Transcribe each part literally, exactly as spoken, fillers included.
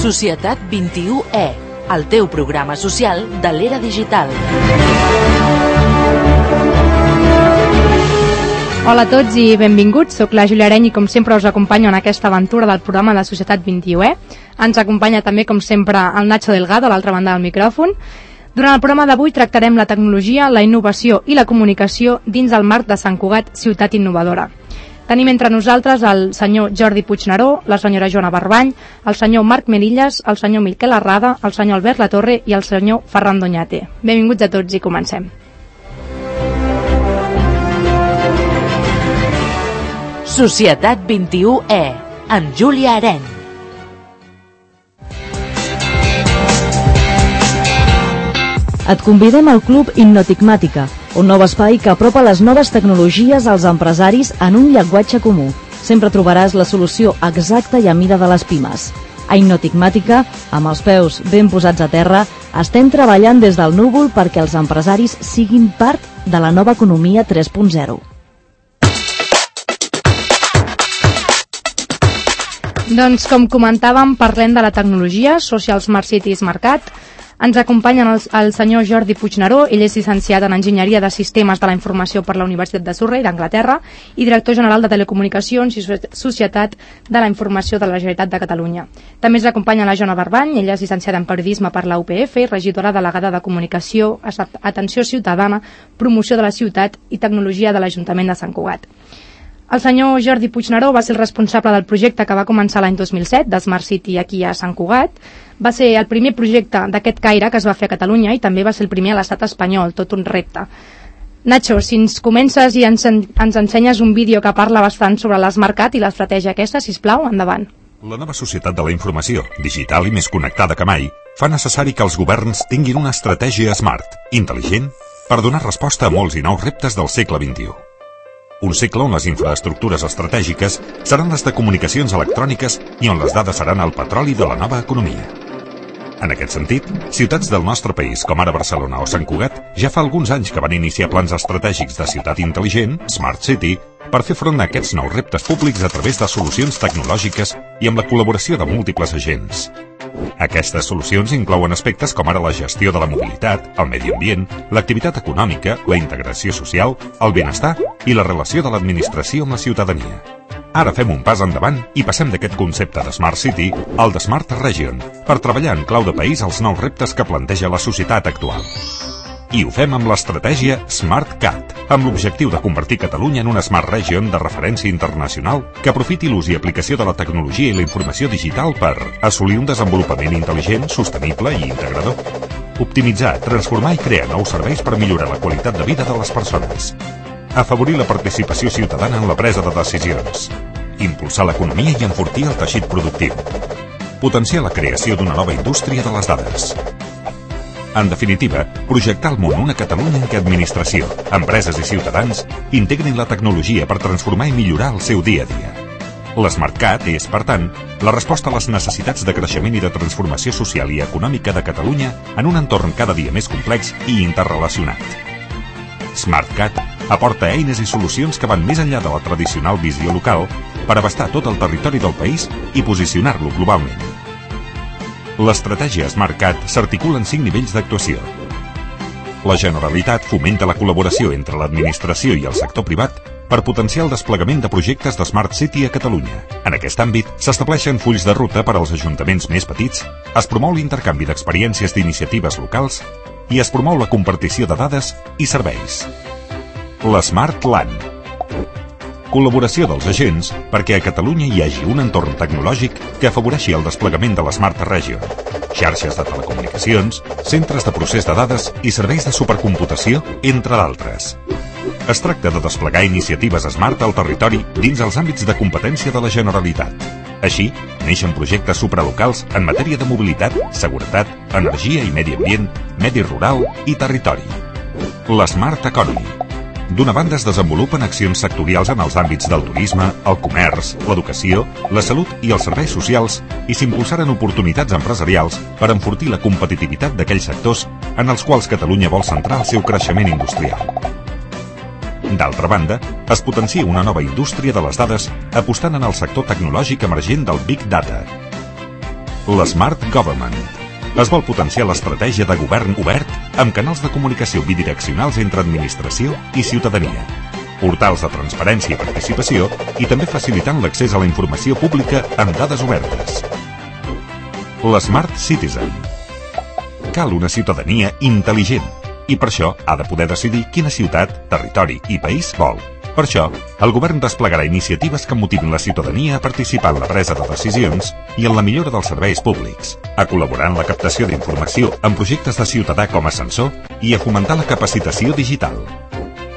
Societat vint-i-u E, el teu programa social de l'era digital. Hola a tots i benvinguts, soc la Júlia Areny i com sempre us acompanyo en aquesta aventura del programa de Societat vint-i-u E. Ens acompanya també com sempre el Nacho Delgado a l'altra banda del micròfon. Durant el programa d'avui tractarem la tecnologia, la innovació i la comunicació dins el marc de Sant Cugat, ciutat innovadora. Tenim entre nosaltres el senyor Jordi Puigneró, la senyora Joana Barbany, el senyor Marc Melillas, el senyor Miquel Arrada, el senyor Albert Latorre i el senyor Ferran Doñate. Benvinguts a tots i comencem. Societat vint-i-u E, amb Júlia Areny. Et convidem al Club Innotigmàtica, un nou espai que apropa les noves tecnologies als empresaris en un llenguatge comú. Sempre trobaràs la solució exacta i a mida de les pimes. A Innotigmàtica, amb els peus ben posats a terra, estem treballant des del núvol perquè els empresaris siguin part de la nova economia tres punt zero. Doncs com comentàvem, parlem de la tecnologia, Social Smart Cities Mercat. Ens acompanyen el, el senyor Jordi Puigneró, ell és llicenciat en Enginyeria de Sistemes de la Informació per la Universitat de Surrey d'Anglaterra i director general de Telecomunicacions i Societat de la Informació de la Generalitat de Catalunya. També ens acompanya la Joana Barbany, ella és llicenciada en Periodisme per la U P F, regidora delegada de Comunicació, Atenció Ciutadana, Promoció de la Ciutat i Tecnologia de l'Ajuntament de Sant Cugat. El senyor Jordi Puigneró va ser el responsable del projecte que va començar l'any dos mil set de Smart City aquí a Sant Cugat. Va ser el primer projecte d'aquest caire que es va fer a Catalunya i també va ser el primer a l'estat espanyol, tot un repte. Nacho, si ens comences i ens, ens ensenyes un vídeo que parla bastant sobre l'Smartcat i l'estratègia aquesta, sisplau, endavant. La nova societat de la informació, digital i més connectada que mai, fa necessari que els governs tinguin una estratègia smart, intel·ligent, per donar resposta a molts i nous reptes del segle vint-i-u. Un segle on les infraestructures estratègiques seran les de comunicacions electròniques i on les dades seran el petroli de la nova economia. En aquest sentit, ciutats del nostre país, com ara Barcelona o Sant Cugat, ja fa alguns anys que van iniciar plans estratègics de ciutat intel·ligent, Smart City, per fer front a aquests nous reptes públics a través de solucions tecnològiques i amb la col·laboració de múltiples agents. Aquestes solucions inclouen aspectes com ara la gestió de la mobilitat, el medi ambient, l'activitat econòmica, la integració social, el benestar i la relació de l'administració amb la ciutadania. Ara fem un pas endavant i passem d'aquest concepte de Smart City al de Smart Region per treballar en clau de país els nous reptes que planteja la societat actual. I ho fem amb l'estratègia SmartCat, amb l'objectiu de convertir Catalunya en una Smart Region de referència internacional que aprofiti l'ús i aplicació de la tecnologia i la informació digital per assolir un desenvolupament intel·ligent, sostenible i integrador. Optimitzar, transformar i crear nous serveis per millorar la qualitat de vida de les persones. Afavorir la participació ciutadana en la presa de decisions. Impulsar l'economia i enfortir el teixit productiu. Potenciar la creació d'una nova indústria de les dades. En definitiva, projectar al món una Catalunya en què administració, empreses i ciutadans integrin la tecnologia per transformar i millorar el seu dia a dia. L'SmartCat és, per tant, la resposta a les necessitats de creixement i de transformació social i econòmica de Catalunya en un entorn cada dia més complex i interrelacionat. SmartCat aporta eines i solucions que van més enllà de la tradicional visió local per abastar tot el territori del país i posicionar-lo globalment. L'estratègia SmartCat s'articula en cinc nivells d'actuació. La Generalitat fomenta la col·laboració entre l'administració i el sector privat per potenciar el desplegament de projectes de Smart City a Catalunya. En aquest àmbit, s'estableixen fulls de ruta per als ajuntaments més petits, es promou l'intercanvi d'experiències d'iniciatives locals i es promou la compartició de dades i serveis. La Smart Land. Col·laboració dels agents perquè a Catalunya hi hagi un entorn tecnològic que afavoreixi el desplegament de la Smart Region, xarxes de telecomunicacions, centres de procés de dades i serveis de supercomputació, entre d'altres. Es tracta de desplegar iniciatives Smart al territori dins els àmbits de competència de la Generalitat. Així, neixen projectes supralocals en matèria de mobilitat, seguretat, energia i medi ambient, medi rural i territori. La Smart Economy. D'una banda es desenvolupen accions sectorials en els àmbits del turisme, el comerç, l'educació, la salut i els serveis socials i s'impulsaren oportunitats empresarials per enfortir la competitivitat d'aquells sectors en els quals Catalunya vol centrar el seu creixement industrial. D'altra banda, es potencia una nova indústria de les dades apostant en el sector tecnològic emergent del Big Data. l'Smart Government. Es vol potenciar l'estratègia de govern obert amb canals de comunicació bidireccionals entre administració i ciutadania, portals de transparència i participació i també facilitant l'accés a la informació pública amb dades obertes. L'Smart Citizen. Cal una ciutadania intel·ligent i per això ha de poder decidir quina ciutat, territori i país vol. Per això, el govern desplegarà iniciatives que motivin la ciutadania a participar en la presa de decisions i en la millora dels serveis públics, a col·laborar en la captació d'informació en projectes de ciutadà com a censor i a fomentar la capacitació digital.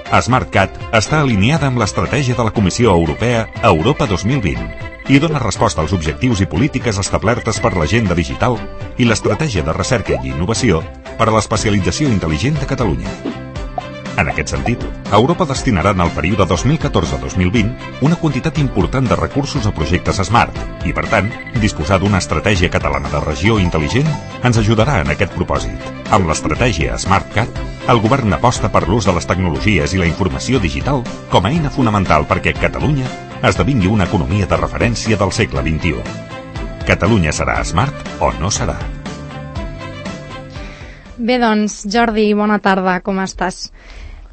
SmartCat està alineada amb l'estratègia de la Comissió Europea Europa dos mil vint i dona resposta als objectius i polítiques establertes per l'agenda digital i l'estratègia de recerca i innovació per a l'especialització intel·ligent de Catalunya. En aquest sentit, Europa destinarà en el període dos mil catorze a dos mil vint una quantitat important de recursos a projectes Smart i, per tant, disposar d'una estratègia catalana de regió intel·ligent ens ajudarà en aquest propòsit. Amb l'estratègia SmartCat, el govern aposta per l'ús de les tecnologies i la informació digital com a eina fonamental perquè Catalunya esdevingui una economia de referència del segle vint-i-u. Catalunya serà smart o no serà? Bé, doncs, Jordi, bona tarda, com estàs?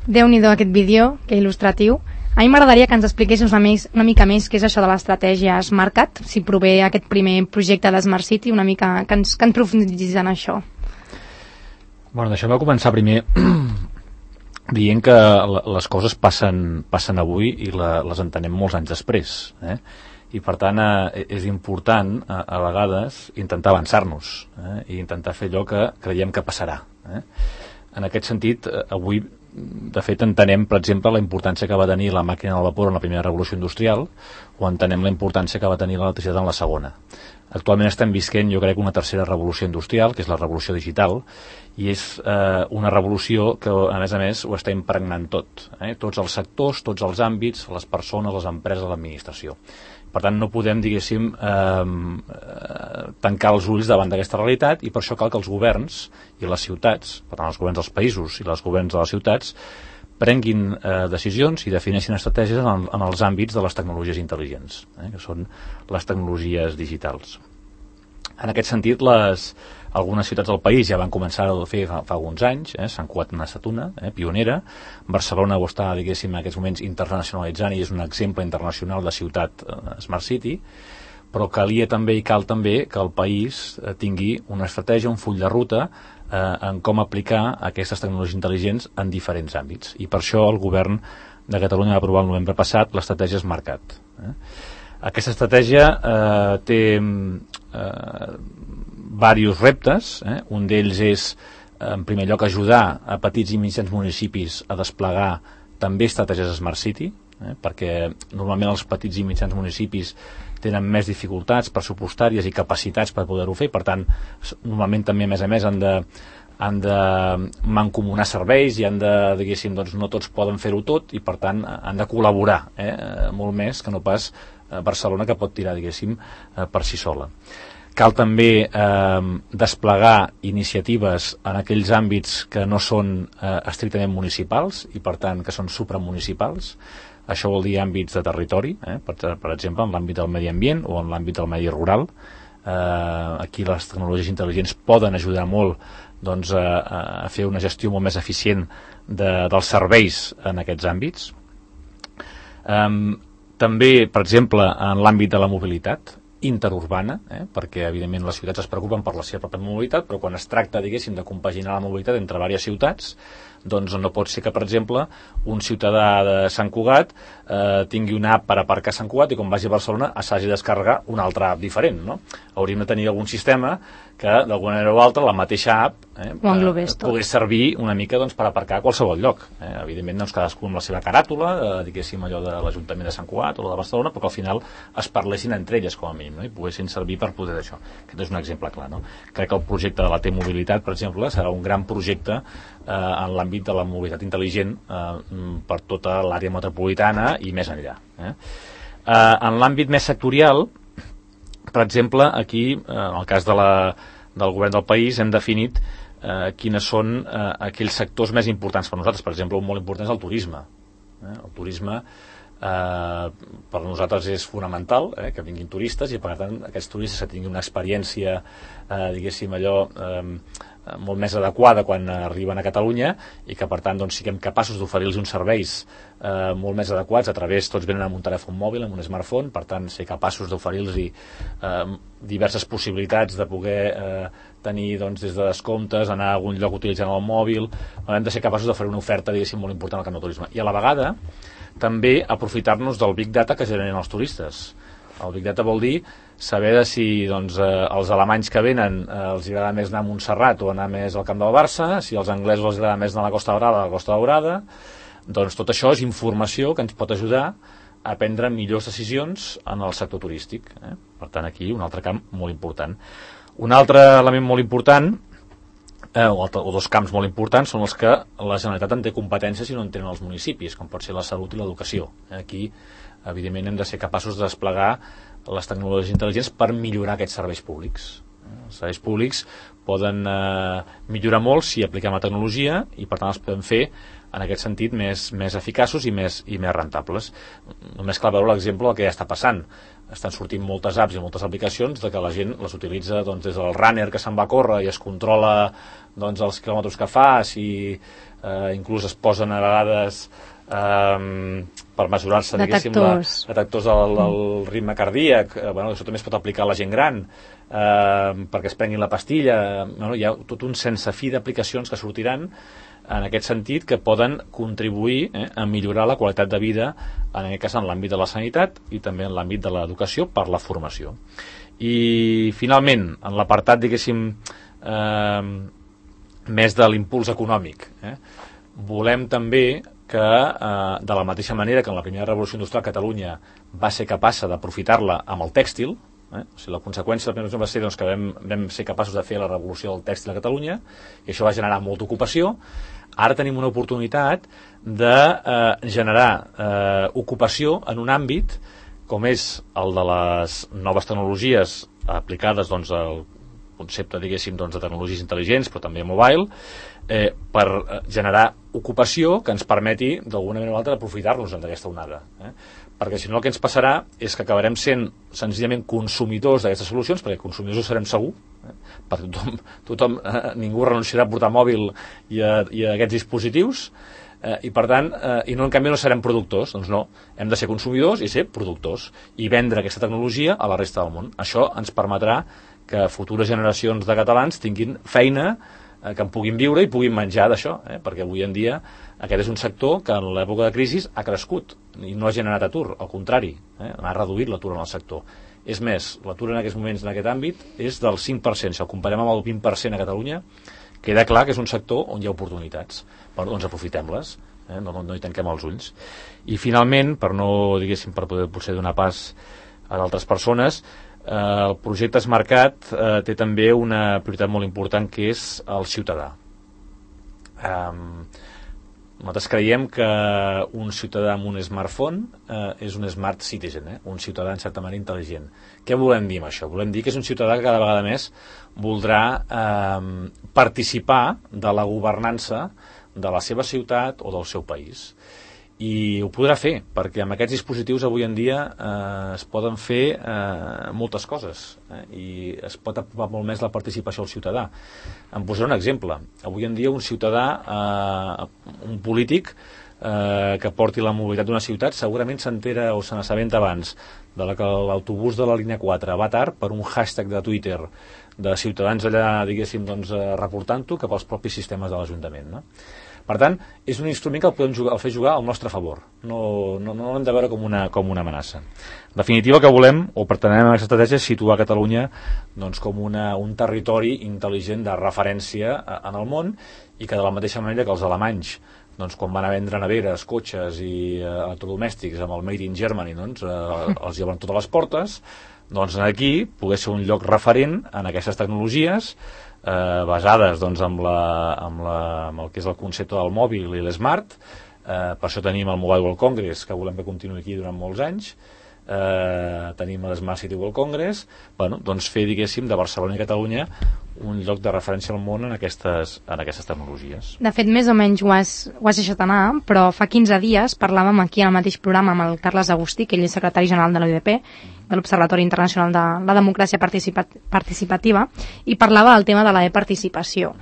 Déu-n'hi-do aquest vídeo, que il·lustratiu. A mi m'agradaria que ens expliquessis una, més, una mica més què és això de l'estratègia SmartCat, si prové aquest primer projecte de Smart City, una mica que ens, que ens profunditsis en això. Bueno, deixem-me començar primer dient que les coses passen, passen avui i la, les entenem molts anys després, eh? I per tant eh, és important a, a vegades intentar avançar-nos eh? I intentar fer allò que creiem que passarà, eh? En aquest sentit, eh, avui de fet entenem, per exemple, la importància que va tenir la màquina del vapor en la primera revolució industrial o entenem la importància que va tenir l'electricitat en la segona. Actualment estem visquent, jo crec, una tercera revolució industrial, que és la revolució digital, i és eh, una revolució que, a més a més, ho està impregnant tot, eh? Tots els sectors, tots els àmbits, les persones, les empreses, l'administració. Per tant, no podem, diguéssim, eh, tancar els ulls davant d'aquesta realitat i per això cal que els governs i les ciutats, per tant, els governs dels països i els governs de les ciutats, prenguin eh, decisions i defineixin estratègies en, en els àmbits de les tecnologies intel·ligents, eh, que són les tecnologies digitals. En aquest sentit, les, algunes ciutats del país ja van començar a fer fa, fa alguns anys, eh, Sant Cugat n'ha estat una, eh, pionera. Barcelona ho està, diguéssim, en aquests moments internacionalitzant i és un exemple internacional de ciutat eh, Smart City, però calia també i cal també que el país eh, tingui una estratègia, un full de ruta eh, en com aplicar aquestes tecnologies intel·ligents en diferents àmbits. I per això el govern de Catalunya va aprovar el novembre passat l'estratègia SmartCat. Eh. Aquesta estratègia eh, té eh, diversos reptes, eh? Un d'ells és, en primer lloc, ajudar a petits i mitjans municipis a desplegar també estratègies Smart City, eh? Perquè normalment els petits i mitjans municipis tenen més dificultats pressupostàries i capacitats per poder-ho fer, per tant, normalment també, a més a més, han de, han de mancomunar serveis i han de, diguéssim, doncs no tots poden fer-ho tot i, per tant, han de col·laborar, eh? Molt més que no pas Barcelona, que pot tirar, diguéssim, per si sola. Cal també eh, desplegar iniciatives en aquells àmbits que no són eh, estrictament municipals i, per tant, que són supramunicipals. Això vol dir àmbits de territori, eh, per, per exemple, en l'àmbit del medi ambient o en l'àmbit del medi rural. Eh, aquí les tecnologies intel·ligents poden ajudar molt doncs, a, a fer una gestió molt més eficient de, dels serveis en aquests àmbits. Eh, també, per exemple, en l'àmbit de la mobilitat interurbana, eh? Perquè evidentment les ciutats es preocupen per la seva pròpia mobilitat, però quan es tracta, diguéssim, de compaginar la mobilitat entre diverses ciutats, doncs no pot ser que, per exemple, un ciutadà de Sant Cugat eh, tingui una app per aparcar a Sant Cugat i quan vagi a Barcelona s'hagi de descarregar una altra app diferent, no? Hauríem de tenir algun sistema que, d'alguna manera o altra, la mateixa app eh, eh, pogués servir una mica doncs, per aparcar a qualsevol lloc. Eh? Evidentment, doncs, cadascú amb la seva caràtula, eh, diguéssim, allò de l'Ajuntament de Sant Cugat o la de Barcelona, però que al final es parlessin entre elles, com a mínim, no? I poguessin servir per poder d'això. Aquest és un exemple clar, no? Crec que el projecte de la T-Mobilitat, per exemple, serà un gran projecte eh, en l'àmbit de la mobilitat intel·ligent eh, per tota l'àrea metropolitana i més enllà. Eh? Eh, en l'àmbit més sectorial, per exemple, aquí, eh, en el cas de la, del govern del país, hem definit eh, quines són eh, aquells sectors més importants per nosaltres. Per exemple, un molt important és el turisme. Eh? El turisme eh, per nosaltres és fonamental eh, que vinguin turistes i per tant aquests turistes que tinguin una experiència eh, diguéssim allò eh, molt més adequada quan arriben a Catalunya i que per tant doncs, siguem capaços d'oferir-los uns serveis eh, molt més adequats a través, tots venen amb un telèfon mòbil, amb un smartphone, per tant ser capaços d'oferir-los eh, diverses possibilitats de poder eh, tenir doncs, des de descomptes, anar a algun lloc utilitzant el mòbil, hem de ser capaços d'oferir una oferta diguéssim molt important al camp del turisme i a la vegada també aprofitar-nos del Big Data que generen els turistes. El Big Data vol dir saber de si doncs, eh, els alemanys que venen eh, els agrada més anar a Montserrat o anar més al camp del Barça, si als anglesos els agrada més anar a la Costa Daurada a la Costa Daurada, doncs tot això és informació que ens pot ajudar a prendre millors decisions en el sector turístic. Eh? Per tant, aquí un altre camp molt important. Un altre element molt important, eh, o, altre, o dos camps molt importants, són els que la Generalitat en té competències i no en tenen els municipis, com pot ser la salut i l'educació. Aquí, evidentment, hem de ser capaços de desplegar les tecnologies intel·ligents per millorar aquests serveis públics. Els serveis públics poden eh, millorar molt si apliquem la tecnologia i per tant els podem fer en aquest sentit més, més eficaços i més, i més rentables. Només cal veure l'exemple del que ja està passant. Estan sortint moltes apps i moltes aplicacions de que la gent les utilitza doncs, des del runner que se'n va a córrer i es controla doncs, els quilòmetres que fa, si eh, inclús es posen a vegades Um, per mesurar-se detectors, la, detectors del, del ritme cardíac. eh, bueno, això també es pot aplicar a la gent gran eh, perquè es prenguin la pastilla. Bueno, hi ha tot un sense fi d'aplicacions que sortiran en aquest sentit que poden contribuir eh, a millorar la qualitat de vida en aquest cas en l'àmbit de la sanitat i també en l'àmbit de l'educació per la formació. I finalment en l'apartat diguéssim eh, més de l'impuls econòmic eh, volem també que eh, de la mateixa manera que en la primera revolució industrial Catalunya va ser capaç d'aprofitar-la amb el tèxtil, eh? O sigui, la conseqüència de la primera revolució va ser doncs, que vam, vam ser capaços de fer la revolució del tèxtil a Catalunya i això va generar molta ocupació. Ara tenim una oportunitat de eh, generar eh, ocupació en un àmbit com és el de les noves tecnologies aplicades doncs, al concepte diguéssim doncs, de tecnologies intel·ligents però també mobile, eh, per generar ocupació que ens permeti d'alguna manera o altra aprofitar-nos d'aquesta onada eh? Perquè si no el que ens passarà és que acabarem sent senzillament consumidors d'aquestes solucions, perquè consumidors ho serem segur eh? perquè tothom, tothom eh, ningú renunciarà a portar mòbil i a, i a aquests dispositius eh, i per tant, eh, i no en canvi no serem productors, doncs no, hem de ser consumidors i ser productors i vendre aquesta tecnologia a la resta del món. Això ens permetrà que futures generacions de catalans tinguin feina, eh, que en puguin viure i puguin menjar d'això, eh? Perquè avui en dia aquest és un sector que en l'època de crisi ha crescut i no ha generat atur, al contrari, eh? Ha reduït l'atur en el sector. És més, l'atur en aquests moments en aquest àmbit és del cinc per cent, si el comparem amb el vint per cent a Catalunya, queda clar que és un sector on hi ha oportunitats, però doncs aprofitem-les, eh? no, no, no hi tanquem els ulls. I finalment, per no, diguéssim, per poder potser donar pas a d'altres persones, Eh, el projecte SmartCat eh, té també una prioritat molt important que és el ciutadà. Eh, nosaltres creiem que un ciutadà amb un smartphone eh, és un smart citizen, eh? Un ciutadà en certa manera intel·ligent. Què volem dir amb això? Volem dir que és un ciutadà que cada vegada més voldrà eh, participar de la governança de la seva ciutat o del seu país. I ho podrà fer, perquè amb aquests dispositius avui en dia eh, es poden fer eh, moltes coses eh, i es pot apropar molt més la participació al ciutadà. Em posaré un exemple. Avui en dia un ciutadà, eh, un polític eh, que porti la mobilitat d'una ciutat segurament s'entera o se n'assabenta abans de la que l'autobús de la línia quatre va tard per un hashtag de Twitter de ciutadans allà, diguéssim, doncs, reportant-ho cap als propis sistemes de l'Ajuntament, no? Per tant, és un instrument que el podem jugar, el fer jugar al nostre favor. No, no, no l'hem de veure com una, com una amenaça. En definitiva, que volem, o pretenem amb aquesta estratègia, és situar Catalunya doncs, com una, un territori intel·ligent de referència en el món i que de la mateixa manera que els alemanys, doncs, quan van a vendre neveres, cotxes i eh, electrodomèstics amb el Made in Germany, doncs, eh, els lleven totes les portes, doncs aquí pogués ser un lloc referent en aquestes tecnologies Eh, basades doncs, amb, la, amb, la, amb el que és el concepte del mòbil i l'smart. Eh, per això tenim el Mobile World Congress, que volem que continuï aquí durant molts anys, eh, tenim l'Smart City World Congress, bueno, doncs fer, diguéssim, de Barcelona i Catalunya un lloc de referència al món en aquestes, en aquestes tecnologies. De fet, més o menys ho has, ho has deixat anar, però fa quinze dies parlàvem aquí al mateix programa amb el Carles Agustí, que ell és secretari general de l'O I D P, de l'Observatori Internacional de la Democràcia Participat Participativa, i parlava del tema de la e-participació.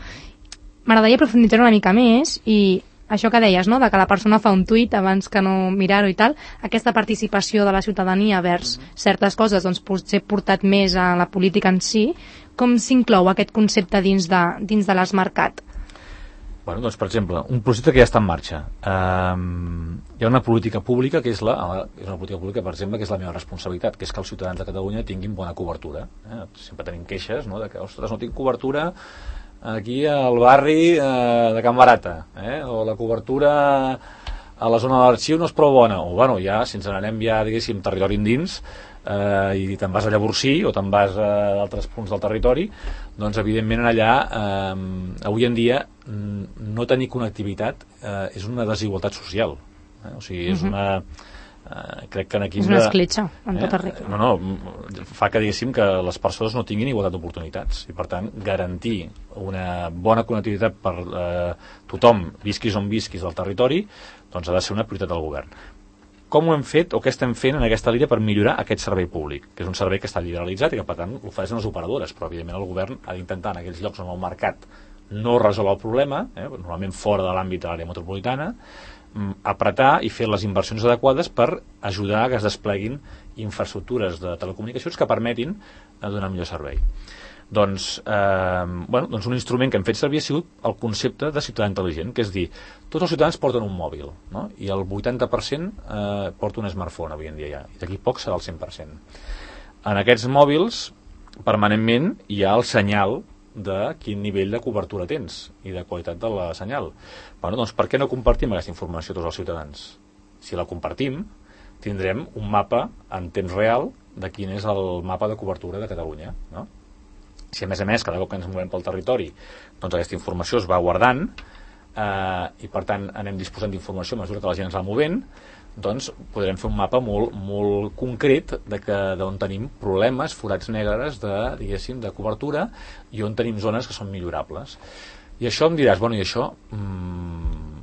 M'agradaria aprofunditzar una mica més i això que deies, no?, de que la persona fa un tuit abans que no mirar-ho i tal, aquesta participació de la ciutadania vers certes coses, doncs potser portat més a la política en si, com s'inclou aquest concepte dins de, dins de l'Smartcat? Bueno, doncs, per exemple, un projecte que ja està en marxa. Um, hi ha una política pública que és, la, és una política pública, per exemple, que és la meva responsabilitat, que és que els ciutadans de Catalunya tinguin bona cobertura. Eh? Sempre tenim queixes, no?, de que, ostres, no tinc cobertura aquí al barri eh, de Can Barata, eh? O la cobertura a la zona de l'arxiu no és prou bona, o bueno, ja, si ens n'anem ja, diguéssim, territori endins, eh, i te'n vas a Llavorsí o te'n vas a altres punts del territori, doncs evidentment allà eh, avui en dia no tenir connectivitat eh, és una desigualtat social, eh? O sigui, és una... Uh, crec que aquí és una escletxa en eh? tota regla. No, no, fa que diguéssim que les persones no tinguin igualtat d'oportunitats i per tant garantir una bona connectivitat per eh, tothom, visquis on visquis del territori, doncs ha de ser una prioritat del govern. Com ho hem fet o què estem fent en aquesta línia per millorar aquest servei públic, que és un servei que està liberalitzat i que per tant l'ofereixen les operadores, però evidentment el govern ha d'intentar en aquells llocs on el mercat no resol el problema, eh, normalment fora de l'àmbit de l'àrea metropolitana, apretar i fer les inversions adequades per ajudar a que es despleguin infraestructures de telecomunicacions que permetin donar millor servei. Doncs, eh, bueno, doncs un instrument que hem fet servir ha sigut el concepte de ciutadà intel·ligent, que és dir, tots els ciutadans porten un mòbil, no? I el vuitanta per cent eh, porta un smartphone avui en dia ja, i d'aquí poc serà el cent per cent. En aquests mòbils permanentment hi ha el senyal de quin nivell de cobertura tens i de qualitat de la senyal. Bueno, doncs per què no compartim aquesta informació a tots els ciutadans? Si la compartim, tindrem un mapa en temps real de quin és el mapa de cobertura de Catalunya, no? Si a més a més cada cop que ens movem pel territori doncs aquesta informació es va guardant eh, i per tant anem disposant d'informació a mesura que la gent ens va movent, doncs podrem fer un mapa molt, molt concret de que d'on tenim problemes, forats negres de, diguéssim, de cobertura i on tenim zones que són millorables. I això em diràs, bueno, i això mmm,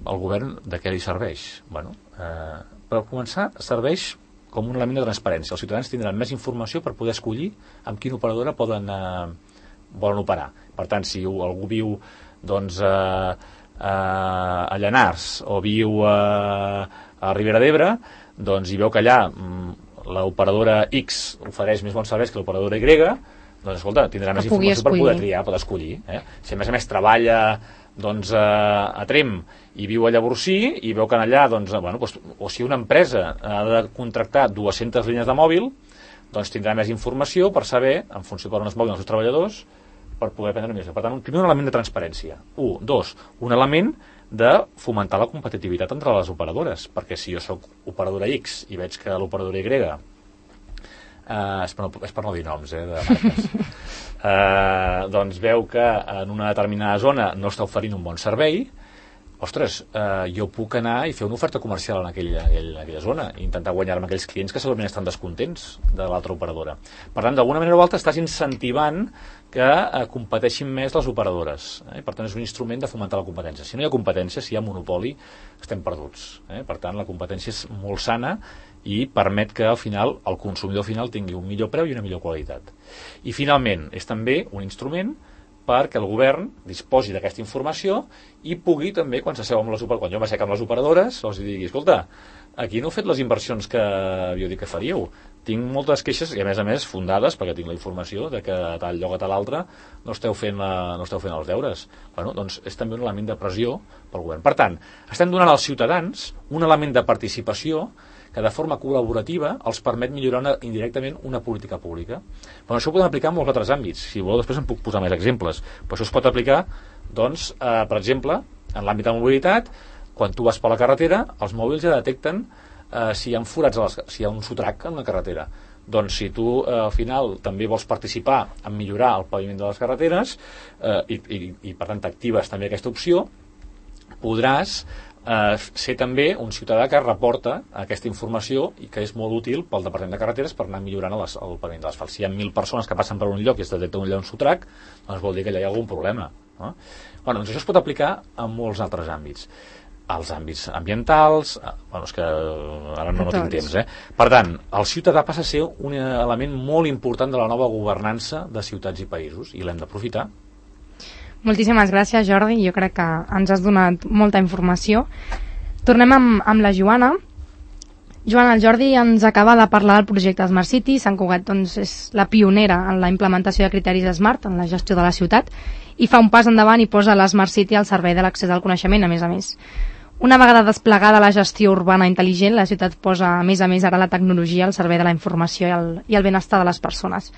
el govern de què li serveix? Bueno, eh, per començar, serveix com un element de transparència. Els ciutadans tindran més informació per poder escollir amb quina operadora poden, eh, volen operar. Per tant, si algú viu doncs, eh, a Llanars o viu a, a Ribera d'Ebre, doncs hi veu que allà l'operadora X ofereix més bons serveis que l'operadora Y, doncs escolta, tindrà més informació escollir. Per poder triar, poder escollir. Eh? Si a més a més treballa doncs, a, a Trem i viu a Llavorsí i veu que allà, doncs, bueno, doncs, o si una empresa ha de contractar dues-centes línies de mòbil, doncs tindrà més informació per saber, en funció per on es moguin els seus treballadors, per poder prendre més. Per tant, primer un element de transparència. Un. Dos, un element de fomentar la competitivitat entre les operadores, perquè si jo soc operadora X i veig que l'operadora Y, eh, és, per no, és per no dir noms, eh, de marques, eh, doncs veu que en una determinada zona no està oferint un bon servei, ostres, eh, jo puc anar i fer una oferta comercial en aquella, aquella, aquella zona i intentar guanyar-me aquells clients que segurament estan descontents de l'altra operadora. Per tant, d'alguna manera o altra estàs incentivant que eh, competeixin més les operadores. Eh? Per tant, és un instrument de fomentar la competència. Si no hi ha competència, si hi ha monopoli, estem perduts. Eh? Per tant, la competència és molt sana i permet que al final el consumidor final tingui un millor preu i una millor qualitat. I finalment, és també un instrument perquè el govern disposi d'aquesta informació i pugui també, quan s'asseu amb les operadores, quan jo m'assec amb les operadores, els digui, escolta, aquí no heu fet les inversions que havia dit que faríeu. Tinc moltes queixes, i a més a més fundades, perquè tinc la informació de que a tal lloc a tal altre no esteu fent, la, no esteu fent els deures. Bueno, doncs és també un element de pressió pel govern. Per tant, estem donant als ciutadans un element de participació que de forma col·laborativa els permet millorar una, indirectament una política pública. Però això ho podem aplicar en molts altres àmbits. Si voleu, després en puc posar més exemples. Però això es pot aplicar, doncs, eh, per exemple, en l'àmbit de mobilitat, quan tu vas per la carretera, els mòbils ja detecten eh, si hi ha forats, a les, si hi ha un sotrac en una carretera. Doncs si tu eh, al final també vols participar en millorar el paviment de les carreteres eh, i, i, i per tant t'actives també aquesta opció, podràs eh, ser també un ciutadà que reporta aquesta informació i que és molt útil pel Departament de Carreteres per anar millorant les, el paviment de l'asfalt. Si hi ha mil persones que passen per un lloc i es detecta un lloc sotrac, doncs vol dir que allà hi ha algun problema, no? Bueno, doncs això es pot aplicar a molts altres àmbits. Als àmbits ambientals, bueno, és que ara no, no tinc temps, eh? Per tant, el ciutadà passa a ser un element molt important de la nova governança de ciutats i països, i l'hem d'aprofitar. Moltíssimes gràcies, Jordi, jo crec que ens has donat molta informació. Tornem amb, amb la Joana. Joana, el Jordi ens acaba de parlar del projecte Smart City. Sant Cugat doncs, és la pionera en la implementació de criteris Smart en la gestió de la ciutat i fa un pas endavant i posa la Smart City al servei de l'accés al coneixement, a més a més. Una vegada desplegada la gestió urbana intel·ligent, la ciutat posa, a més a més, ara la tecnologia al servei de la informació i el, i el benestar de les persones.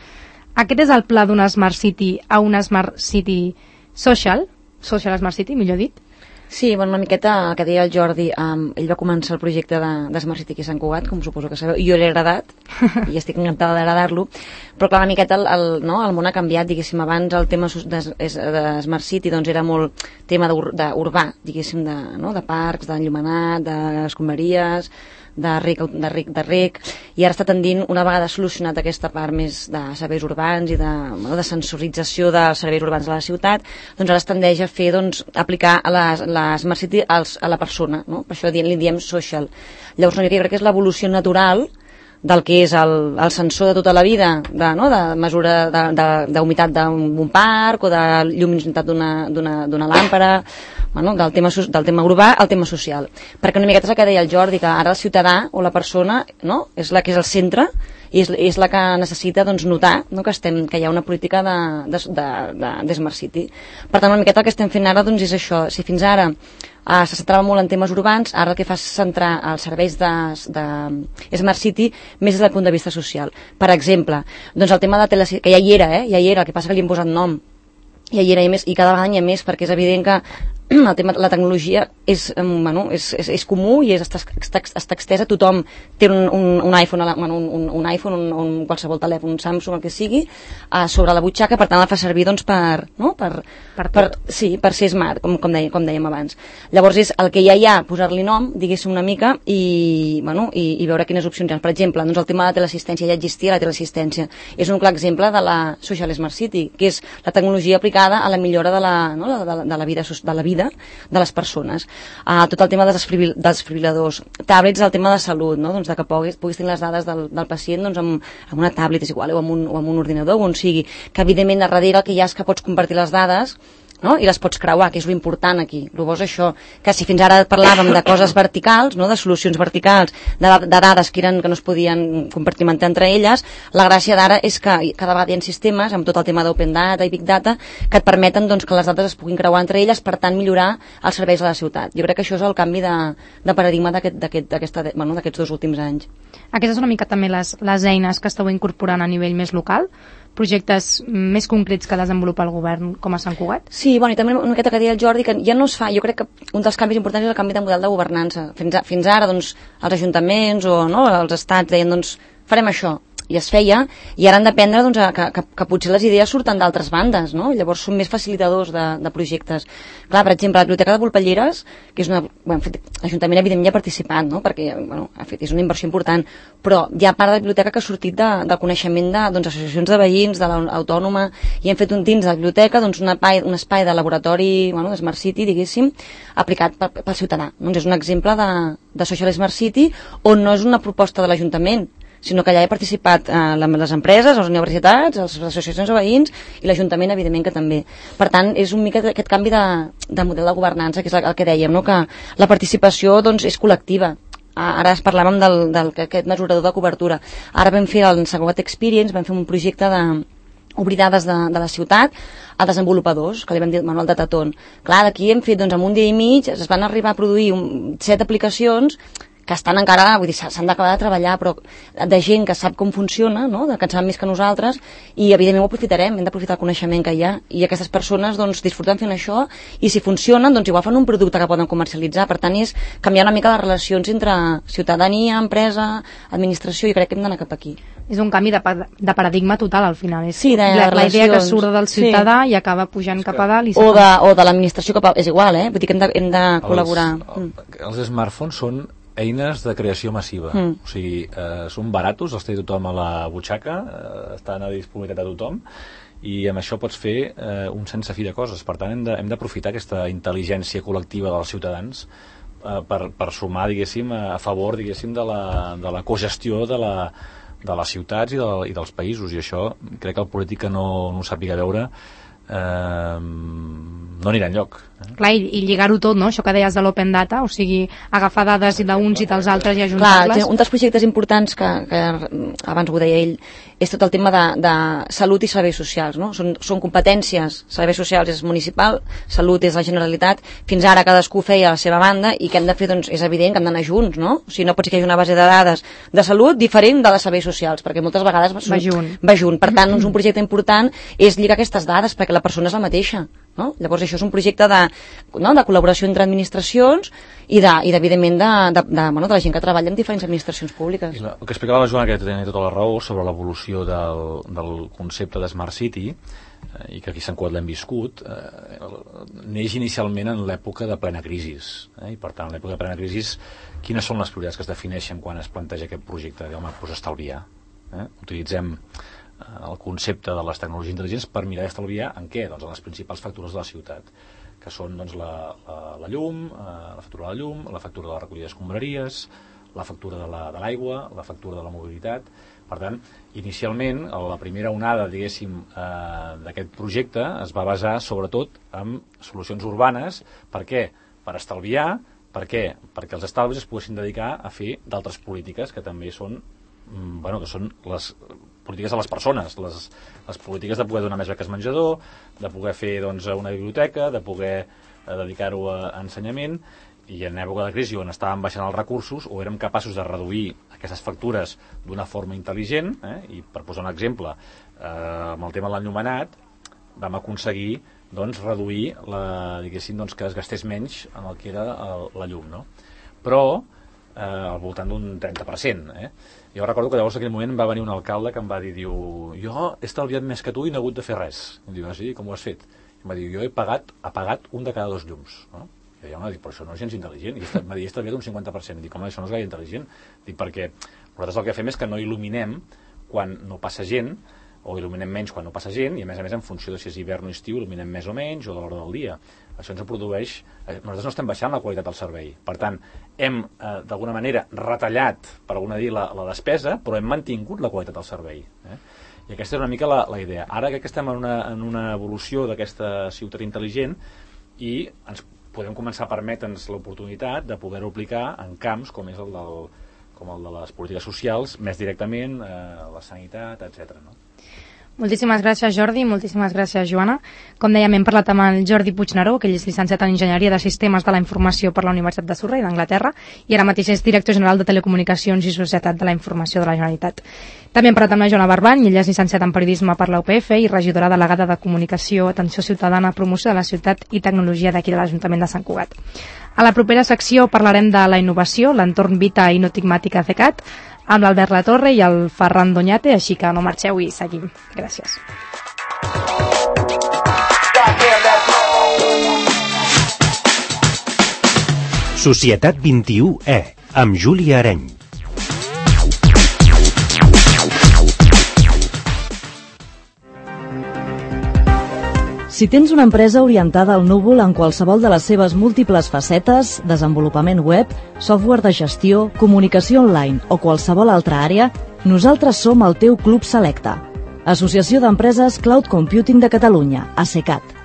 Aquest és el pla d'una Smart City a una Smart City social, Social Smart City, millor dit? Sí, bueno, una miqueta el que deia el Jordi, um, ell va començar el projecte de, de Smart City aquí a Sant Cugat, com suposo que sabeu, jo l'he agradat, i estic encantada d'agradar-lo, però clar, una miqueta el, el, no, el món ha canviat, diguéssim, abans el tema de, de Smart City doncs era molt tema d'urbà, diguéssim, de, no, de parcs, d'enllumenat, d'escombraries, de rec, de rec, de rec, i ara està tendint, una vegada solucionat aquesta part més de serveis urbans i de, bueno, de sensorització dels serveis urbans de la ciutat, doncs ara es tendeix a fer, doncs, aplicar a la, la Smart City als, a la persona, no? Per això li diem social. Llavors, no, jo crec que és l'evolució natural del que és el, el sensor de tota la vida, de, no? de mesura d'humitat d'un parc o de lluminositat d'una làmpara, bueno, del, tema, del tema urbà al tema social. Perquè una miqueta és el que deia el Jordi, que ara el ciutadà o la persona, no? És la que és el centre i és, és la que necessita, doncs, notar, no? que, estem, que hi ha una política de, de, de, de, de Smart City. Per tant, una miqueta el que estem fent ara, doncs, és això. Si fins ara Uh, se centrava molt en temes urbans, ara el que fa és centrar els serveis de, de Smart City més des del punt de vista social. Per exemple, doncs el tema de tele, que ja hi era, eh? ja hi era, el que passa que li hem posat nom, ja hi era i, més, i cada vegada hi ha més, perquè és evident que el tema, la tecnologia és, bueno, és, és, és comú i és, està, està, està extesa, tothom té un, un, un iPhone, bueno, un, un iPhone, un, un qualsevol telèfon, un Samsung, el que sigui, uh, sobre la butxaca, per tant el fa servir, doncs, per, no? per, per, per, sí, per ser smart, com, com, deia, com dèiem abans. Llavors és el que ja hi ha, posar-li nom, diguéssim una mica, i, bueno, i, i veure quines opcions hi ha. Per exemple, doncs el tema de la teleassistència, ja existia la teleassistència, és un clar exemple de la Social Smart City, que és la tecnologia aplicada a la millora de la, no? de, de, de la vida, de la vida de les persones. Uh, tot el tema dels desfibriladors, tablets, el tema de salut, no? doncs de que puguis, puguis tenir les dades del, del pacient doncs amb, amb una tablet, és igual, o amb, un, o amb un ordinador, o on sigui, que evidentment a darrere el que hi ha és que pots compartir les dades, no? I les pots creuar, que és l'important aquí. El bo és això, que si fins ara parlàvem de coses verticals, no? de solucions verticals, de, de dades que, eren, que no es podien compartimentar entre elles, la gràcia d'ara és que cada vegada hi ha sistemes, amb tot el tema d'open data i big data, que et permeten doncs, que les dades es puguin creuar entre elles, per tant millorar els serveis de la ciutat. Jo crec que això és el canvi de, de paradigma d'aquests aquest, bueno, dos últims anys. Aquestes són una mica també les, les eines que esteu incorporant a nivell més local, projectes més concrets que desenvolupa el govern com a Sant Cugat? Sí, bueno, i també una miqueta que deia el Jordi, que ja no es fa, jo crec que un dels canvis importants és el canvi de model de governança. Fins, a, fins ara, doncs, els ajuntaments o no, els estats deien, doncs, farem això, i es feia, i ara han d'aprendre doncs, que, que, que potser les idees surten d'altres bandes, no? Llavors són més facilitadors de, de projectes. Clar, per exemple, la Biblioteca de Volpelleres, que és una... Bueno, l'Ajuntament evidentment ja ha participat, no? Perquè bueno, ha fet, és una inversió important, però hi ha part de la biblioteca que ha sortit de, del coneixement de doncs, associacions de veïns, de l'autònoma, i hem fet un dins de la biblioteca doncs, un, espai, un espai de laboratori, bueno, de Smart City, diguéssim, aplicat pel, pel ciutadà. Doncs és un exemple de, de Social Smart City, on no és una proposta de l'Ajuntament, sinó que allà he participat eh, les empreses, les universitats, les associacions de veïns i l'Ajuntament, evidentment, que també. Per tant, és un mica aquest canvi de, de model de governança, que és el que dèiem, no? Que la participació doncs, és col·lectiva. Ara es parlàvem del, del, d'aquest mesurador de cobertura. Ara vam fer el Sant Cugat Experience, vam fer un projecte de obrir dades de, de la ciutat a desenvolupadors, que li vam dir el manual de Taton. Clar, d'aquí hem fet, doncs, en un dia i mig, es van arribar a produir un, set aplicacions que estan encara, vull dir, s'han d'acabar de treballar, però de gent que sap com funciona, no? Que en sap més que nosaltres, i evidentment ho aprofitarem, hem d'aprofitar el coneixement que hi ha, i aquestes persones doncs, disfruten fent això, i si funcionen, doncs igual fan un producte que poden comercialitzar. Per tant, és canviar una mica les relacions entre ciutadania, empresa, administració, i crec que hem d'anar cap aquí. És un canvi de, de paradigma total, al final. És sí, de la, la idea que surt del ciutadà sí. i acaba pujant cap a dalt. I o, de, o de l'administració cap a... És igual, eh? Vull dir que hem de, hem de col·laborar. Els, els smartphones són eines de creació massiva. Mm. O sigui, eh, són baratos, els té tothom a la butxaca, eh, estan a disponibilitat de tothom, i amb això pots fer eh, un sense fi de coses. Per tant, hem d'aprofitar aquesta intel·ligència col·lectiva dels ciutadans eh, per, per sumar, diguéssim, a favor, diguéssim, de la, de la cogestió de la de les ciutats i, de, i dels països, i això crec que el polític que no, no ho sàpiga veure eh, no anirà enlloc. Eh? Clar, i, i lligar-ho tot, no? Això que deies de l'open data, o sigui, agafar dades d'uns i dels altres i ajuntar-les. Clar, un dels projectes importants que, que abans ho deia ell, és tot el tema de, de salut i serveis socials, no? Són, són competències, serveis socials és municipal, salut és la Generalitat, fins ara cadascú feia a la seva banda, i que hem de fer, doncs, és evident que hem d'anar junts, no? O sigui, no pot ser que hi hagi una base de dades de salut diferent de les serveis socials, perquè moltes vegades va junt. Va junt. Per tant, doncs, un projecte important és lligar aquestes dades, perquè la persona és la mateixa. No? Llavors això és un projecte de, no? de col·laboració entre administracions i, de, i evidentment de, de, de, bueno, de la gent que treballa en diferents administracions públiques. I la, el que explicava la Joana, que tenia tota la raó sobre l'evolució del, del concepte de Smart City, eh, i que aquí Sant Cugat l'hem viscut, eh, neix inicialment en l'època de plena crisi, eh, i per tant en l'època de plena crisi quines són les prioritats que es defineixen quan es planteja aquest projecte? Home, doncs estalviar, eh? Utilitzem el concepte de les tecnologies intel·ligents per mirar d'estalviar en què? Doncs en les principals factures de la ciutat, que són doncs, la, la, la llum, eh, la factura de la llum, la factura de la recollida d'escombraries, la factura de l'aigua, la, la factura de la mobilitat. Per tant, inicialment, la primera onada, diguéssim, eh, d'aquest projecte es va basar sobretot en solucions urbanes. Per què? Per estalviar. Per què? Perquè els estalvis es poguessin dedicar a fer d'altres polítiques que també són, bueno, que són les polítiques de les persones, les, les polítiques de poder donar més beques menjador, de poder fer doncs, una biblioteca, de poder eh, dedicar-ho a, a ensenyament, i en època de crisi on estàvem baixant els recursos o érem capaços de reduir aquestes factures d'una forma intel·ligent, eh, i per posar un exemple, eh, amb el tema de l'enllumenat vam aconseguir doncs, reduir la, diguéssim, doncs, que es gastés menys en el que era el, la llum, no? Però eh, al voltant d'un trenta per cent, eh? Jo recordo que llavors en aquell moment va venir un alcalde que em va dir, diu, jo he estalviat més que tu i no he hagut de fer res. I diu, ah, sí, com ho has fet? I em va dir, jo he pagat, apagat un de cada dos llums, no? I jo em va dir, però això no és gens intel·ligent. I em va dir, he estalviat un cinquanta per cent. I dic, home, això no és gaire intel·ligent. Dic, perquè nosaltres el que fem és que no il·luminem quan no passa gent, o il·luminem menys quan no passa gent, i a més a més en funció de si és hivern o estiu il·luminem més o menys, o de l'hora del dia. Això ens produeix... Nosaltres no estem baixant la qualitat del servei. Per tant, hem, eh, d'alguna manera, retallat, per alguna dir, la, la despesa, però hem mantingut la qualitat del servei. Eh? I aquesta és una mica la, la idea. Ara que estem en una, en una evolució d'aquesta ciutat intel·ligent i ens podem començar a permetre'ns l'oportunitat de poder-ho aplicar en camps com és el, del, com el de les polítiques socials, més directament, eh, la sanitat, etcètera, no? Moltíssimes gràcies, Jordi, moltíssimes gràcies, Joana. Com dèiem, hem parlat amb el Jordi Puigneró, que ell és llicenciat en Enginyeria de Sistemes de la Informació per la Universitat de Surrey d'Anglaterra, i ara mateix és director general de Telecomunicacions i Societat de la Informació de la Generalitat. També hem parlat amb la Joana Barbany, ella és llicenciat en Periodisme per la U P F i regidora delegada de Comunicació, Atenció Ciutadana, Promoció de la Ciutat i Tecnologia d'aquí de l'Ajuntament de Sant Cugat. A la propera secció parlarem de la innovació, l'entorn Vita i Notigmàtica CECAT, amb l'Albert Latorre i el Ferran Doñate, així que no marxeu i seguim. Gràcies. Societat vint-i-u E, amb Júlia Areny. Si tens una empresa orientada al núvol en qualsevol de les seves múltiples facetes, desenvolupament web, software de gestió, comunicació online o qualsevol altra àrea, nosaltres som el teu Club Selecta. Associació d'Empreses Cloud Computing de Catalunya, ASECAT.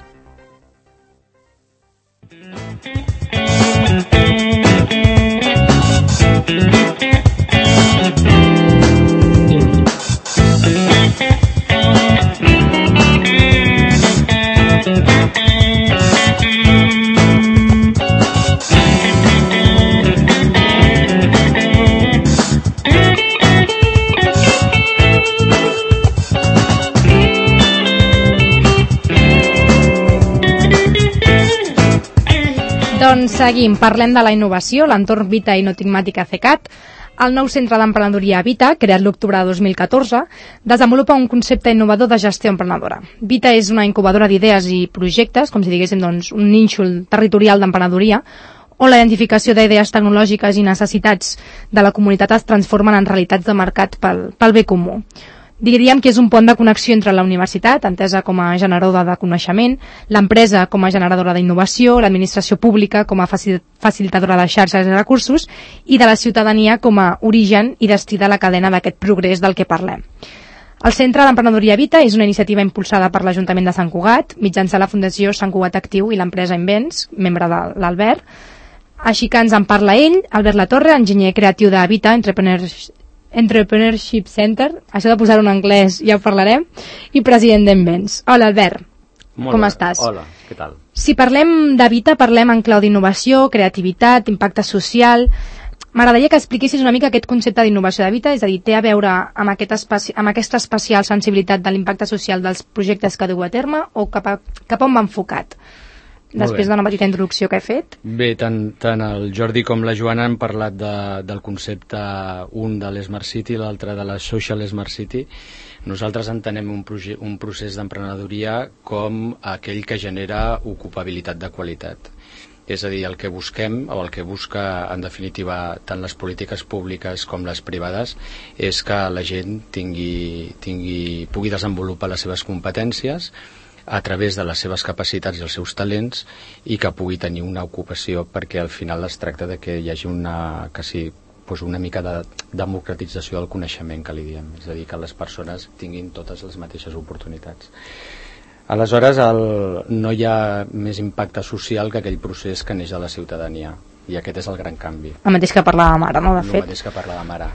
Doncs seguim, parlem de la innovació, l'entorn Vita i Notigmàtica CECAT. El nou centre d'emprenedoria Vita, creat l'octubre de dos mil catorze, desenvolupa un concepte innovador de gestió emprenedora. Vita és una incubadora d'idees i projectes, com si diguéssim doncs, un nínxol territorial d'emprenedoria, on la identificació d'idees tecnològiques i necessitats de la comunitat es transformen en realitats de mercat pel, pel bé comú. Diríem que és un pont de connexió entre la universitat, entesa com a generadora de coneixement, l'empresa com a generadora d'innovació, l'administració pública com a facilitadora de xarxes i recursos i de la ciutadania com a origen i destí de la cadena d'aquest progrés del que parlem. El Centre d'Emprenedoria Vita és una iniciativa impulsada per l'Ajuntament de Sant Cugat, mitjançant la Fundació Sant Cugat Actiu i l'empresa Invents, membre de l'Albert. Així que ens en parla ell, Albert Latorre, enginyer creatiu de Vita Entrepreneurs Entrepreneurship Center, això de posar-ho en anglès ja ho parlarem, i president d'Invents. Hola, Albert. Molt com bé. estàs? Hola, què tal? Si parlem de Vita, parlem en clau d'innovació, creativitat, impacte social. M'agradaria que expliquessis una mica aquest concepte d'innovació de Vita, és a dir, té a veure amb, aquest especi amb aquesta especial sensibilitat de l'impacte social dels projectes que dueu a terme o cap a, cap a on va enfocat? Després d'una petita introducció que he fet. Bé, tant, tant el Jordi com la Joana han parlat de, del concepte, un de l'Smart City i l'altre de la Social Smart City. Nosaltres entenem un, un procés d'emprenedoria com aquell que genera ocupabilitat de qualitat. És a dir, el que busquem, o el que busca en definitiva tant les polítiques públiques com les privades, és que la gent tingui, tingui, pugui desenvolupar les seves competències a través de les seves capacitats i els seus talents i que pugui tenir una ocupació, perquè al final es tracta de que hi hagi una, quasi, doncs una mica de democratització del coneixement que li diem, és a dir, que les persones tinguin totes les mateixes oportunitats. Aleshores, el, no hi ha més impacte social que aquell procés que neix de la ciutadania, i aquest és el gran canvi. El mateix que parlàvem ara, no? De fet. El mateix que parlàvem ara.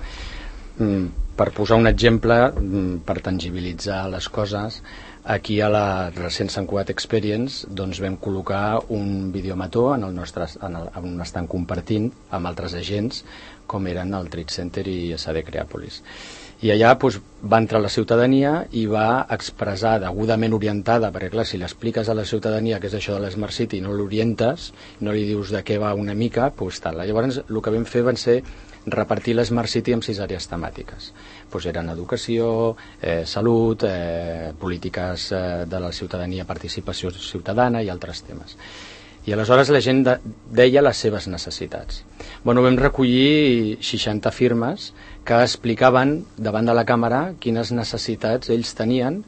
Mm, per posar un exemple, mm, per tangibilitzar les coses, aquí a la recent Sant Cugat Experience doncs vam col·locar un videomató en el nostre, en el, on estan compartint amb altres agents com eren el Trade Center i S D Creàpolis. I allà doncs, va entrar la ciutadania i va expressar degudament orientada, perquè clar, si l'expliques a la ciutadania que és això de l'Smart City i no l'orientes, no li dius de què va una mica, doncs tal. Llavors el que vam fer van ser repartir l'Smart City en sis àrees temàtiques. Pues eren educació, eh, salut, eh, polítiques eh, de la ciutadania, participació ciutadana i altres temes. I aleshores la gent de, deia les seves necessitats. Bueno, vam recollir seixanta firmes que explicaven davant de la càmera quines necessitats ells tenien,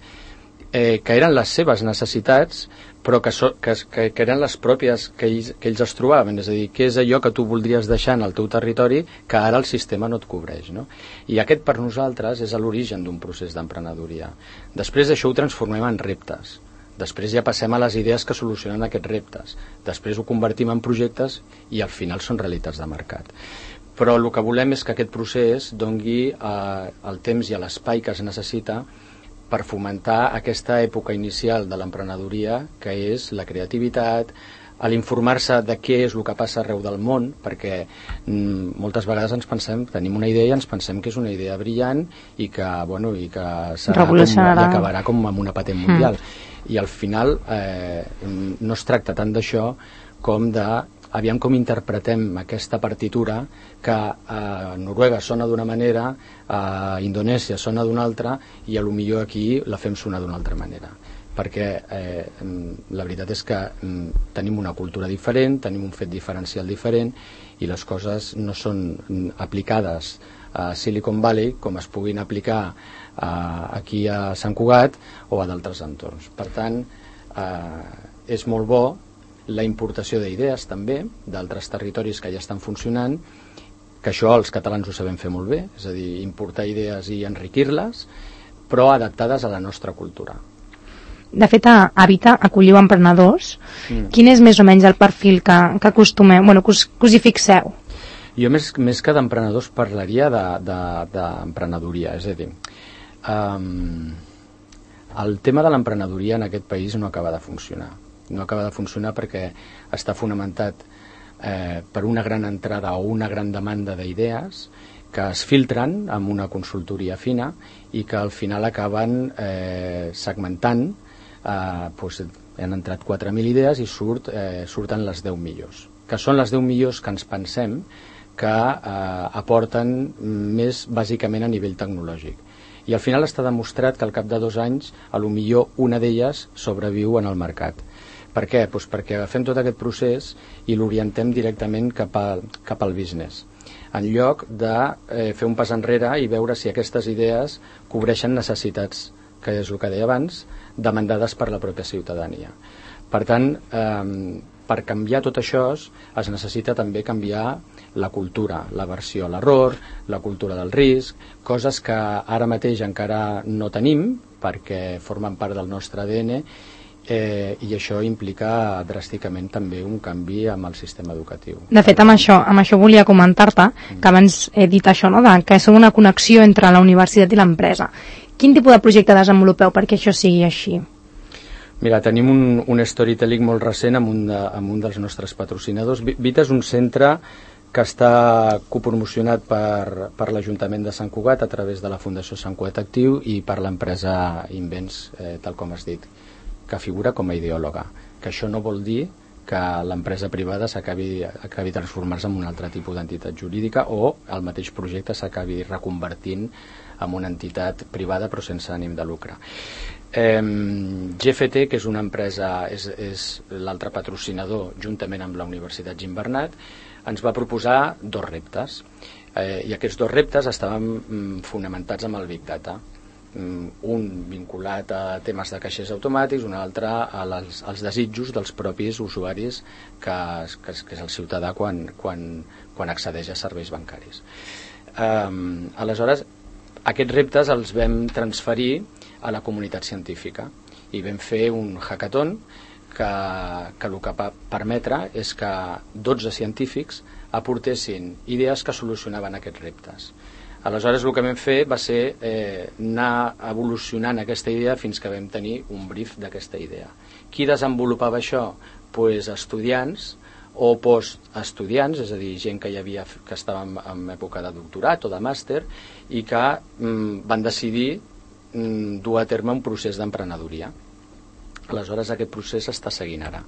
eh, que eren les seves necessitats, però que, so, que, que, que eren les pròpies que ells, que ells es trobaven, és a dir, què és allò que tu voldries deixar en el teu territori que ara el sistema no et cobreix, no? I aquest per nosaltres és l'origen d'un procés d'emprenedoria. Després d'això ho transformem en reptes, després ja passem a les idees que solucionen aquests reptes, després ho convertim en projectes i al final són realitats de mercat. Però el que volem és que aquest procés doni eh, el temps i l'espai que es necessita per fomentar aquesta època inicial de l'emprenedoria, que és la creativitat, a l'informar-se de què és el que passa arreu del món, perquè mm, moltes vegades ens pensem, tenim una idea i ens pensem que és una idea brillant i que, bueno, i que serà com, i acabarà com amb una patent mundial. Mm. I al final eh, no es tracta tant d'això com de aviam com interpretem aquesta partitura que a Noruega sona d'una manera, a Indonèsia sona d'una altra i a lo millor aquí la fem sonar d'una altra manera. Perquè eh, la veritat és que eh, tenim una cultura diferent, tenim un fet diferencial diferent i les coses no són aplicades a Silicon Valley com es puguin aplicar eh, aquí a Sant Cugat o a d'altres entorns. Per tant, eh, és molt bo la importació d'idees també d'altres territoris que ja estan funcionant, que això els catalans ho sabem fer molt bé, és a dir, importar idees i enriquir-les, però adaptades a la nostra cultura. De fet, a Vita acolliu emprenedors. Mm. Quin és més o menys el perfil que, que acostumeu, bueno, que us, que us hi fixeu? Jo més, més que d'emprenedors parlaria d'emprenedoria, de, de, és a dir, um, el tema de l'emprenedoria en aquest país no acaba de funcionar. No acaba de funcionar perquè està fonamentat eh, per una gran entrada o una gran demanda d'idees que es filtren amb una consultoria fina i que al final acaben eh, segmentant, eh, doncs, han entrat quatre mil idees i surt, eh, surten les deu millors. que són les deu millors que ens pensem que eh, aporten més bàsicament a nivell tecnològic. I al final està demostrat que al cap de dos anys a lo millor una d'elles sobreviu en el mercat. Per què? Pues perquè agafem tot aquest procés i l'orientem directament cap, a, cap al business, en lloc de eh, fer un pas enrere i veure si aquestes idees cobreixen necessitats, que és el que deia abans, demandades per la pròpia ciutadania. Per tant, eh, per canviar tot això es necessita també canviar la cultura, l'aversió a l'error, la cultura del risc, coses que ara mateix encara no tenim perquè formen part del nostre A D N, eh, i això implica dràsticament també un canvi amb el sistema educatiu. De fet, amb això, amb això volia comentar-te, que abans he dit això, no? de, que són una connexió entre la universitat i l'empresa. Quin tipus de projecte desenvolupeu perquè això sigui així? Mira, tenim un, un storytelling molt recent amb un, de, amb un dels nostres patrocinadors. Vita és un centre que està copromocionat per, per l'Ajuntament de Sant Cugat a través de la Fundació Sant Cugat Actiu i per l'empresa Invents, eh, tal com has dit, que figura com a ideòloga. Que això no vol dir que l'empresa privada s'acabi acabi transformar-se en un altre tipus d'entitat jurídica o el mateix projecte s'acabi reconvertint en una entitat privada però sense ànim de lucre. Eh, G F T, que és una empresa, és, és l'altre patrocinador, juntament amb la Universitat Gimbernat, ens va proposar dos reptes. Eh, I aquests dos reptes estaven mm, fonamentats amb el Big Data. Mm, un vinculat a temes de caixers automàtics, un altre a les, als desitjos dels propis usuaris, que, que, que és el ciutadà quan, quan, quan accedeix a serveis bancaris. Eh, aleshores, aquests reptes els vam transferir a la comunitat científica i vam fer un hackathon que, que el que va permetre és que dotze científics aportessin idees que solucionaven aquests reptes. Aleshores el que vam fer va ser eh, anar evolucionant aquesta idea fins que vam tenir un brief d'aquesta idea. Qui desenvolupava això? Pues estudiants o postestudiants, és a dir, gent que hi havia que estava en, en època de doctorat o de màster i que mm, van decidir mm, dur a terme un procés d'emprenedoria. Aleshores aquest procés està seguint ara.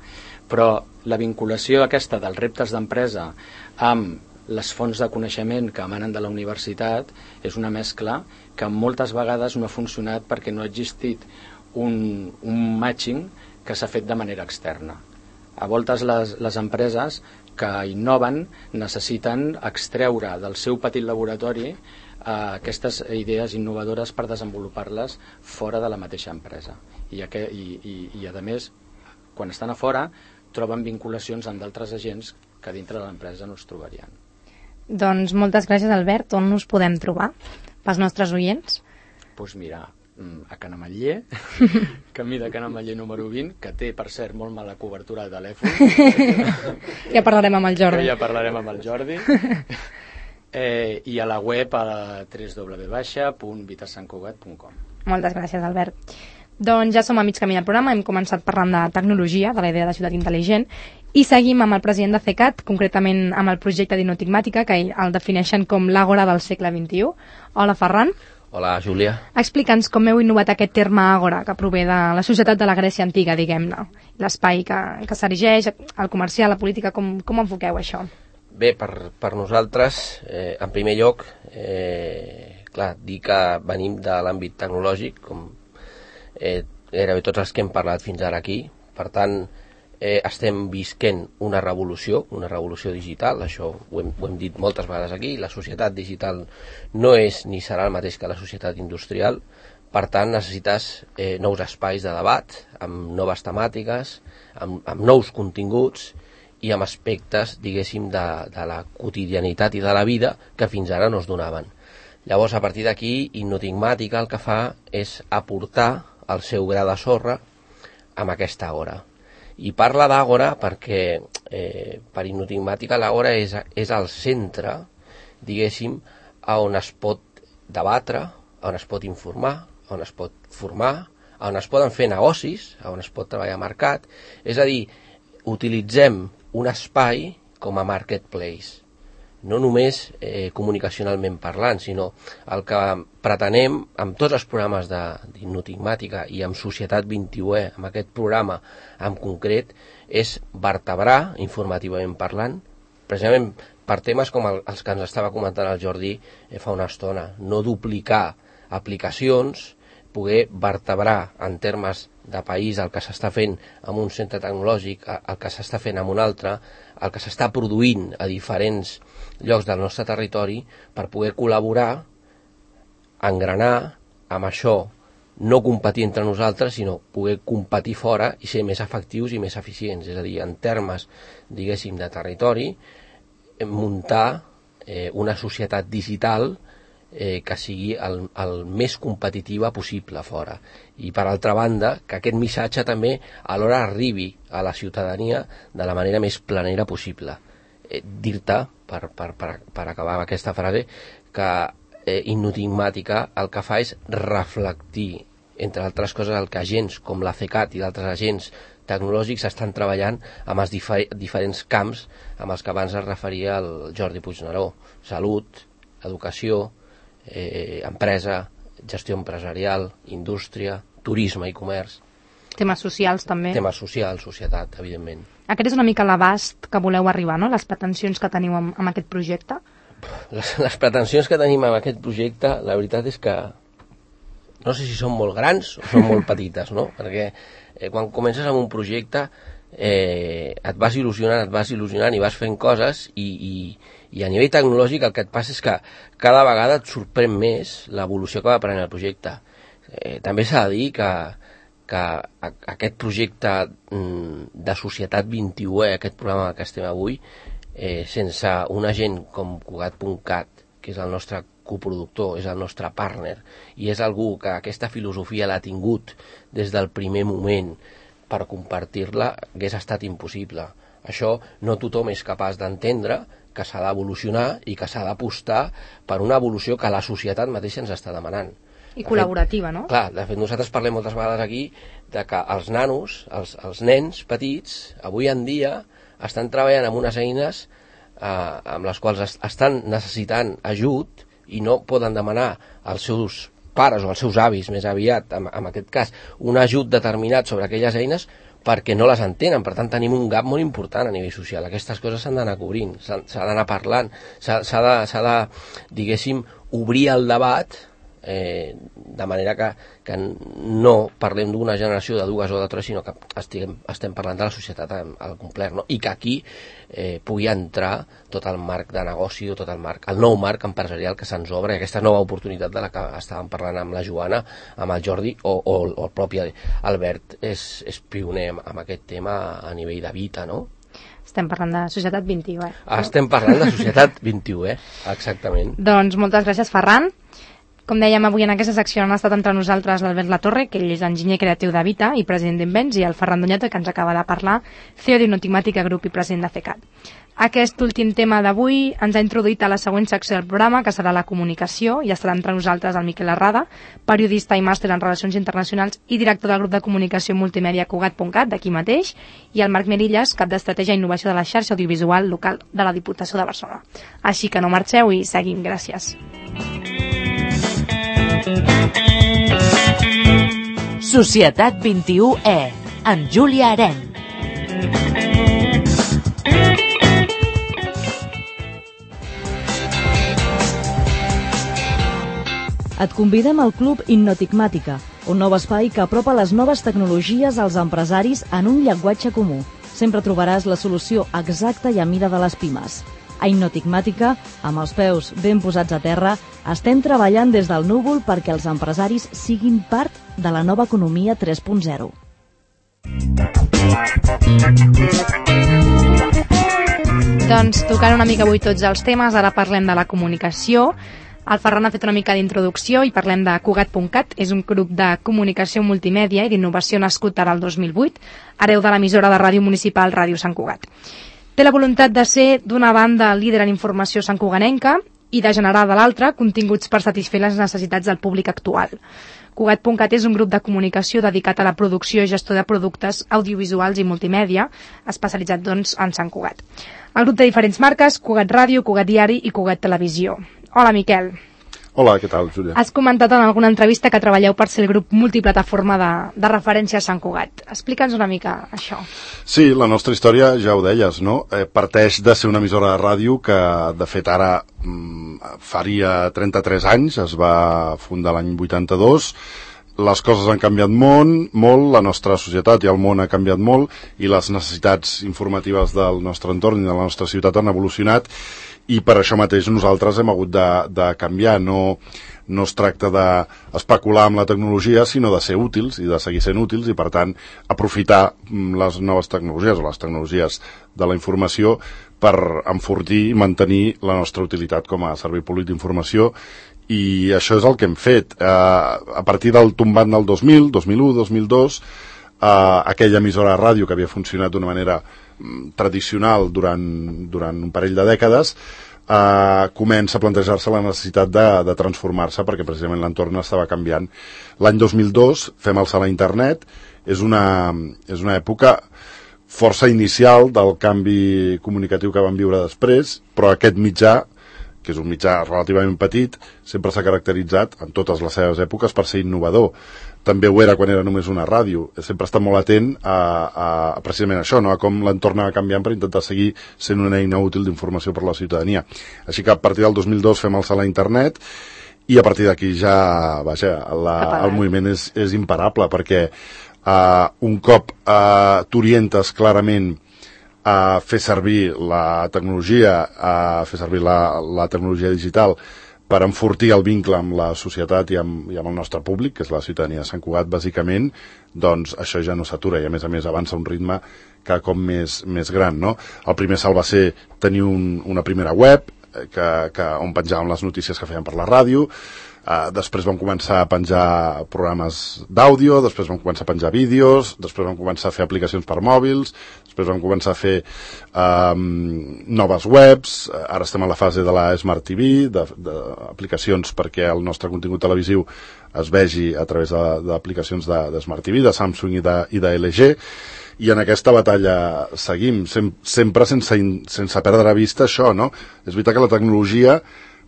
Però la vinculació aquesta dels reptes d'empresa amb les fonts de coneixement que emanen de la universitat és una mescla que moltes vegades no ha funcionat perquè no ha existit un, un matching que s'ha fet de manera externa. A voltes les, les empreses que innoven necessiten extreure del seu petit laboratori eh, aquestes idees innovadores per desenvolupar-les fora de la mateixa empresa. I, i, i, i a més, quan estan a fora, troben vinculacions amb d'altres agents que dintre de l'empresa no es trobarien. Doncs moltes gràcies, Albert. On us podem trobar pels nostres oients? Doncs pues mira, a Can Ametller, camí de Can Ametller número vint, que té, per cert, molt mala cobertura de telèfon. Ja parlarem amb el Jordi. Que ja parlarem amb el Jordi. Eh, I a la web a w w w punt vita sant cugat punt com. Moltes gràcies, Albert. Doncs ja som a mig camí del programa, hem començat parlant de tecnologia, de la idea de ciutat intel·ligent, i seguim amb el president de CECAT, concretament amb el projecte d'Innotigmàtica, que el defineixen com l'àgora del segle vint-i-u. Hola, Ferran. Hola, Júlia. Explica'ns com heu innovat aquest terme àgora, que prové de la societat de la Grècia antiga, diguem-ne, l'espai que, que s'erigeix, el comercial, la política, com, com enfoqueu això? Bé, per, per nosaltres, eh, en primer lloc, eh, clar, dir que venim de l'àmbit tecnològic, com eh, gairebé tots els que hem parlat fins ara aquí, per tant, eh, estem visquent una revolució, una revolució digital, això ho hem, ho hem dit moltes vegades aquí, la societat digital no és ni serà el mateix que la societat industrial, per tant necessites eh, nous espais de debat, amb noves temàtiques, amb, amb nous continguts i amb aspectes, diguéssim, de, de la quotidianitat i de la vida que fins ara no es donaven. Llavors, a partir d'aquí, Innotigmàtica el que fa és aportar el seu gra de sorra amb aquesta àgora. I parla d'àgora perquè eh, per Innotigmàtica l'àgora és, és el centre, diguéssim, on es pot debatre, on es pot informar, on es pot formar, on es poden fer negocis, on es pot treballar a mercat. És a dir, utilitzem un espai com a marketplace. no només eh, comunicacionalment parlant, sinó el que pretenem amb tots els programes d'Innotigmàtica i amb Societat vint-i-u E, amb aquest programa en concret, és vertebrar, informativament parlant, precisament per temes com el, els que ens estava comentant el Jordi eh, fa una estona, no duplicar aplicacions, poder vertebrar en termes de país el que s'està fent en un centre tecnològic, el que s'està fent en un altre, el que s'està produint a diferents llocs del nostre territori per poder col·laborar, engranar amb això, no competir entre nosaltres, sinó poder competir fora i ser més efectius i més eficients. És a dir, en termes, diguéssim, de territori, muntar eh, una societat digital eh, que sigui el, el més competitiva possible fora. I per altra banda, que aquest missatge també alhora arribi a la ciutadania de la manera més planera possible. Eh, dir-te, per, per, per, per acabar amb aquesta frase, que eh, Innotigmàtica el que fa és reflectir, entre altres coses, el que agents com la CECAT i d'altres agents tecnològics estan treballant amb els difer diferents camps amb els que abans es referia el Jordi Puigneró: salut, educació, eh, empresa, gestió empresarial, indústria, turisme i comerç. Temes socials també. Temes socials, societat, evidentment. Aquest és una mica l'abast que voleu arribar, no? Les pretensions que teniu amb, amb aquest projecte? Les, les pretensions que tenim amb aquest projecte, la veritat és que no sé si són molt grans o són molt petites, no? Perquè eh, quan comences amb un projecte eh, et vas il·lusionant, et vas il·lusionant i vas fent coses i, i, i a nivell tecnològic el que et passa és que cada vegada et sorprèn més l'evolució que va prenent el projecte. Eh, també s'ha de dir que, que aquest projecte de Societat vint-i-u E, aquest programa que estem avui, eh, sense un agent com Cugat punt cat, que és el nostre coproductor, és el nostre partner, i és algú que aquesta filosofia l'ha tingut des del primer moment per compartir-la, hagués estat impossible. Això no tothom és capaç d'entendre, que s'ha d'evolucionar i que s'ha d'apostar per una evolució que la societat mateixa ens està demanant. I col·laborativa, no? Clar, de fet nosaltres parlem moltes vegades aquí de que els nanos, els, els nens petits, avui en dia estan treballant amb unes eines eh, amb les quals est estan necessitant ajut i no poden demanar als seus pares o als seus avis, més aviat, en, en aquest cas, un ajut determinat sobre aquelles eines perquè no les entenen. Per tant, tenim un gap molt important a nivell social. Aquestes coses s'han d'anar cobrint, s'ha d'anar parlant, s'ha de, de, diguéssim, obrir el debat eh, de manera que, que no parlem d'una generació de dues o de tres, sinó que estiguem, estem parlant de la societat al complet, no? I que aquí eh, pugui entrar tot el marc de negoci, tot el marc, el nou marc empresarial que se'ns obre, aquesta nova oportunitat de la que estàvem parlant amb la Joana, amb el Jordi o, o, o el propi Albert és, és pioner amb aquest tema a nivell de Vita, no? Estem parlant de Societat vint-i-u E. Estem parlant de Societat vint-i-u E, exactament. Doncs moltes gràcies, Ferran. Com dèiem, avui en aquesta secció han estat entre nosaltres l'Albert Latorre, que ell és enginyer creatiu de Vita i president d'Invents, i el Ferran Doñata, que ens acaba de parlar, C E O d'Innotigmàtica Group i president de CECAT. Aquest últim tema d'avui ens ha introduït a la següent secció del programa, que serà la comunicació, i estarà entre nosaltres el Miquel Arrada, periodista i màster en Relacions Internacionals i director del grup de comunicació multimèdia Cugat punt cat, d'aquí mateix, i el Marc Merillas, cap d'estratègia i innovació de la xarxa audiovisual local de la Diputació de Barcelona. Així que no marxeu i seguim. Gràcies. Societat vint-i-u E, amb Júlia Aren. Et convidem al Club Innotigmàtica, un nou espai que apropa les noves tecnologies als empresaris en un llenguatge comú. Sempre trobaràs la solució exacta i a mida de les pimes. A Innotigmàtica, amb els peus ben posats a terra, estem treballant des del núvol perquè els empresaris siguin part de la nova economia tres punt zero. Doncs tocant una mica avui tots els temes, ara parlem de la comunicació. El Ferran ha fet una mica d'introducció i parlem de Cugat punt cat. És un grup de comunicació multimèdia i d'innovació nascut ara el dos mil vuit, hereu de l'emissora de ràdio municipal Ràdio Sant Cugat. Té la voluntat de ser, d'una banda, líder en informació santcuganenca i de generar, de l'altra, continguts per satisfer les necessitats del públic actual. Cugat punt cat és un grup de comunicació dedicat a la producció i gestió de productes audiovisuals i multimèdia, especialitzat doncs, en Sant Cugat. El grup té diferents marques, Cugat Ràdio, Cugat Diari i Cugat Televisió. Hola, Miquel. Hola, què tal, Júlia? Has comentat en alguna entrevista que treballeu per ser el grup multiplataforma de, de referència a Sant Cugat. Explica'ns una mica això. Sí, la nostra història, ja ho deies, no? Eh, parteix de ser una emissora de ràdio que, de fet, ara mm, faria trenta-tres anys, es va fundar l'any vuitanta-dos. Les coses han canviat molt, molt, la nostra societat i el món ha canviat molt i les necessitats informatives del nostre entorn i de la nostra ciutat han evolucionat, i per això mateix nosaltres hem hagut de, de canviar. No, no es tracta d'especular amb la tecnologia, sinó de ser útils i de seguir sent útils, i per tant aprofitar les noves tecnologies o les tecnologies de la informació per enfortir i mantenir la nostra utilitat com a servei públic d'informació. I això és el que hem fet. Eh, a partir del tombant del dos mil, dos mil u, dos mil dos, eh, aquella emissora de ràdio que havia funcionat d'una manera tradicional durant, durant un parell de dècades, eh, comença a plantejar-se la necessitat de, de transformar-se, perquè precisament l'entorn estava canviant. L'any dos mil dos fem el salt a internet, és una, és una època força inicial del canvi comunicatiu que vam viure després, però aquest mitjà, que és un mitjà relativament petit, sempre s'ha caracteritzat en totes les seves èpoques per ser innovador. També ho era quan era només una ràdio. Sempre està molt atent a, a, a precisament això, no? A com l'entorn va canviant per intentar seguir sent una eina útil d'informació per a la ciutadania. Així que a partir del dos mil dos fem el salt a internet i a partir d'aquí ja, vaja, la, el moviment és, és imparable, perquè uh, un cop uh, t'orientes clarament a fer servir la tecnologia, a fer servir la, la tecnologia digital per enfortir el vincle amb la societat i amb, i amb el nostre públic, que és la ciutadania de Sant Cugat, bàsicament, doncs això ja no s'atura i, a més a més, avança un ritme cada cop més, més gran, no? El primer salt va ser tenir un, una primera web que, que, on penjàvem les notícies que feien per la ràdio. Uh, després vam començar a penjar programes d'àudio, després vam començar a penjar vídeos, després vam començar a fer aplicacions per mòbils, després vam començar a fer um, noves webs, ara estem a la fase de la Smart T V, d'aplicacions perquè el nostre contingut televisiu es vegi a través d'aplicacions de, de, de Smart T V, de Samsung i de, i de L G, i en aquesta batalla seguim, sem sempre sense, sense perdre de vista això, no? És veritat que la tecnologia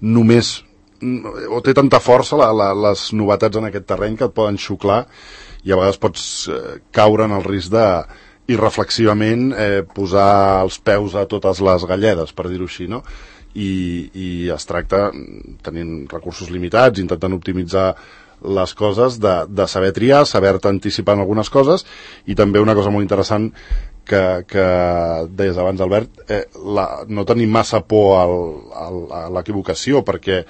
només o té tanta força la, la, les novetats en aquest terreny que et poden xuclar i a vegades pots eh, caure en el risc de irreflexivament eh, posar els peus a totes les galledes, per dir-ho així, no? I, i es tracta, tenint recursos limitats, intentant optimitzar les coses, de, de saber triar, saber-te anticipar en algunes coses, i també una cosa molt interessant que, que deies abans, Albert, eh, la, no tenir massa por al, al, a l'equivocació, perquè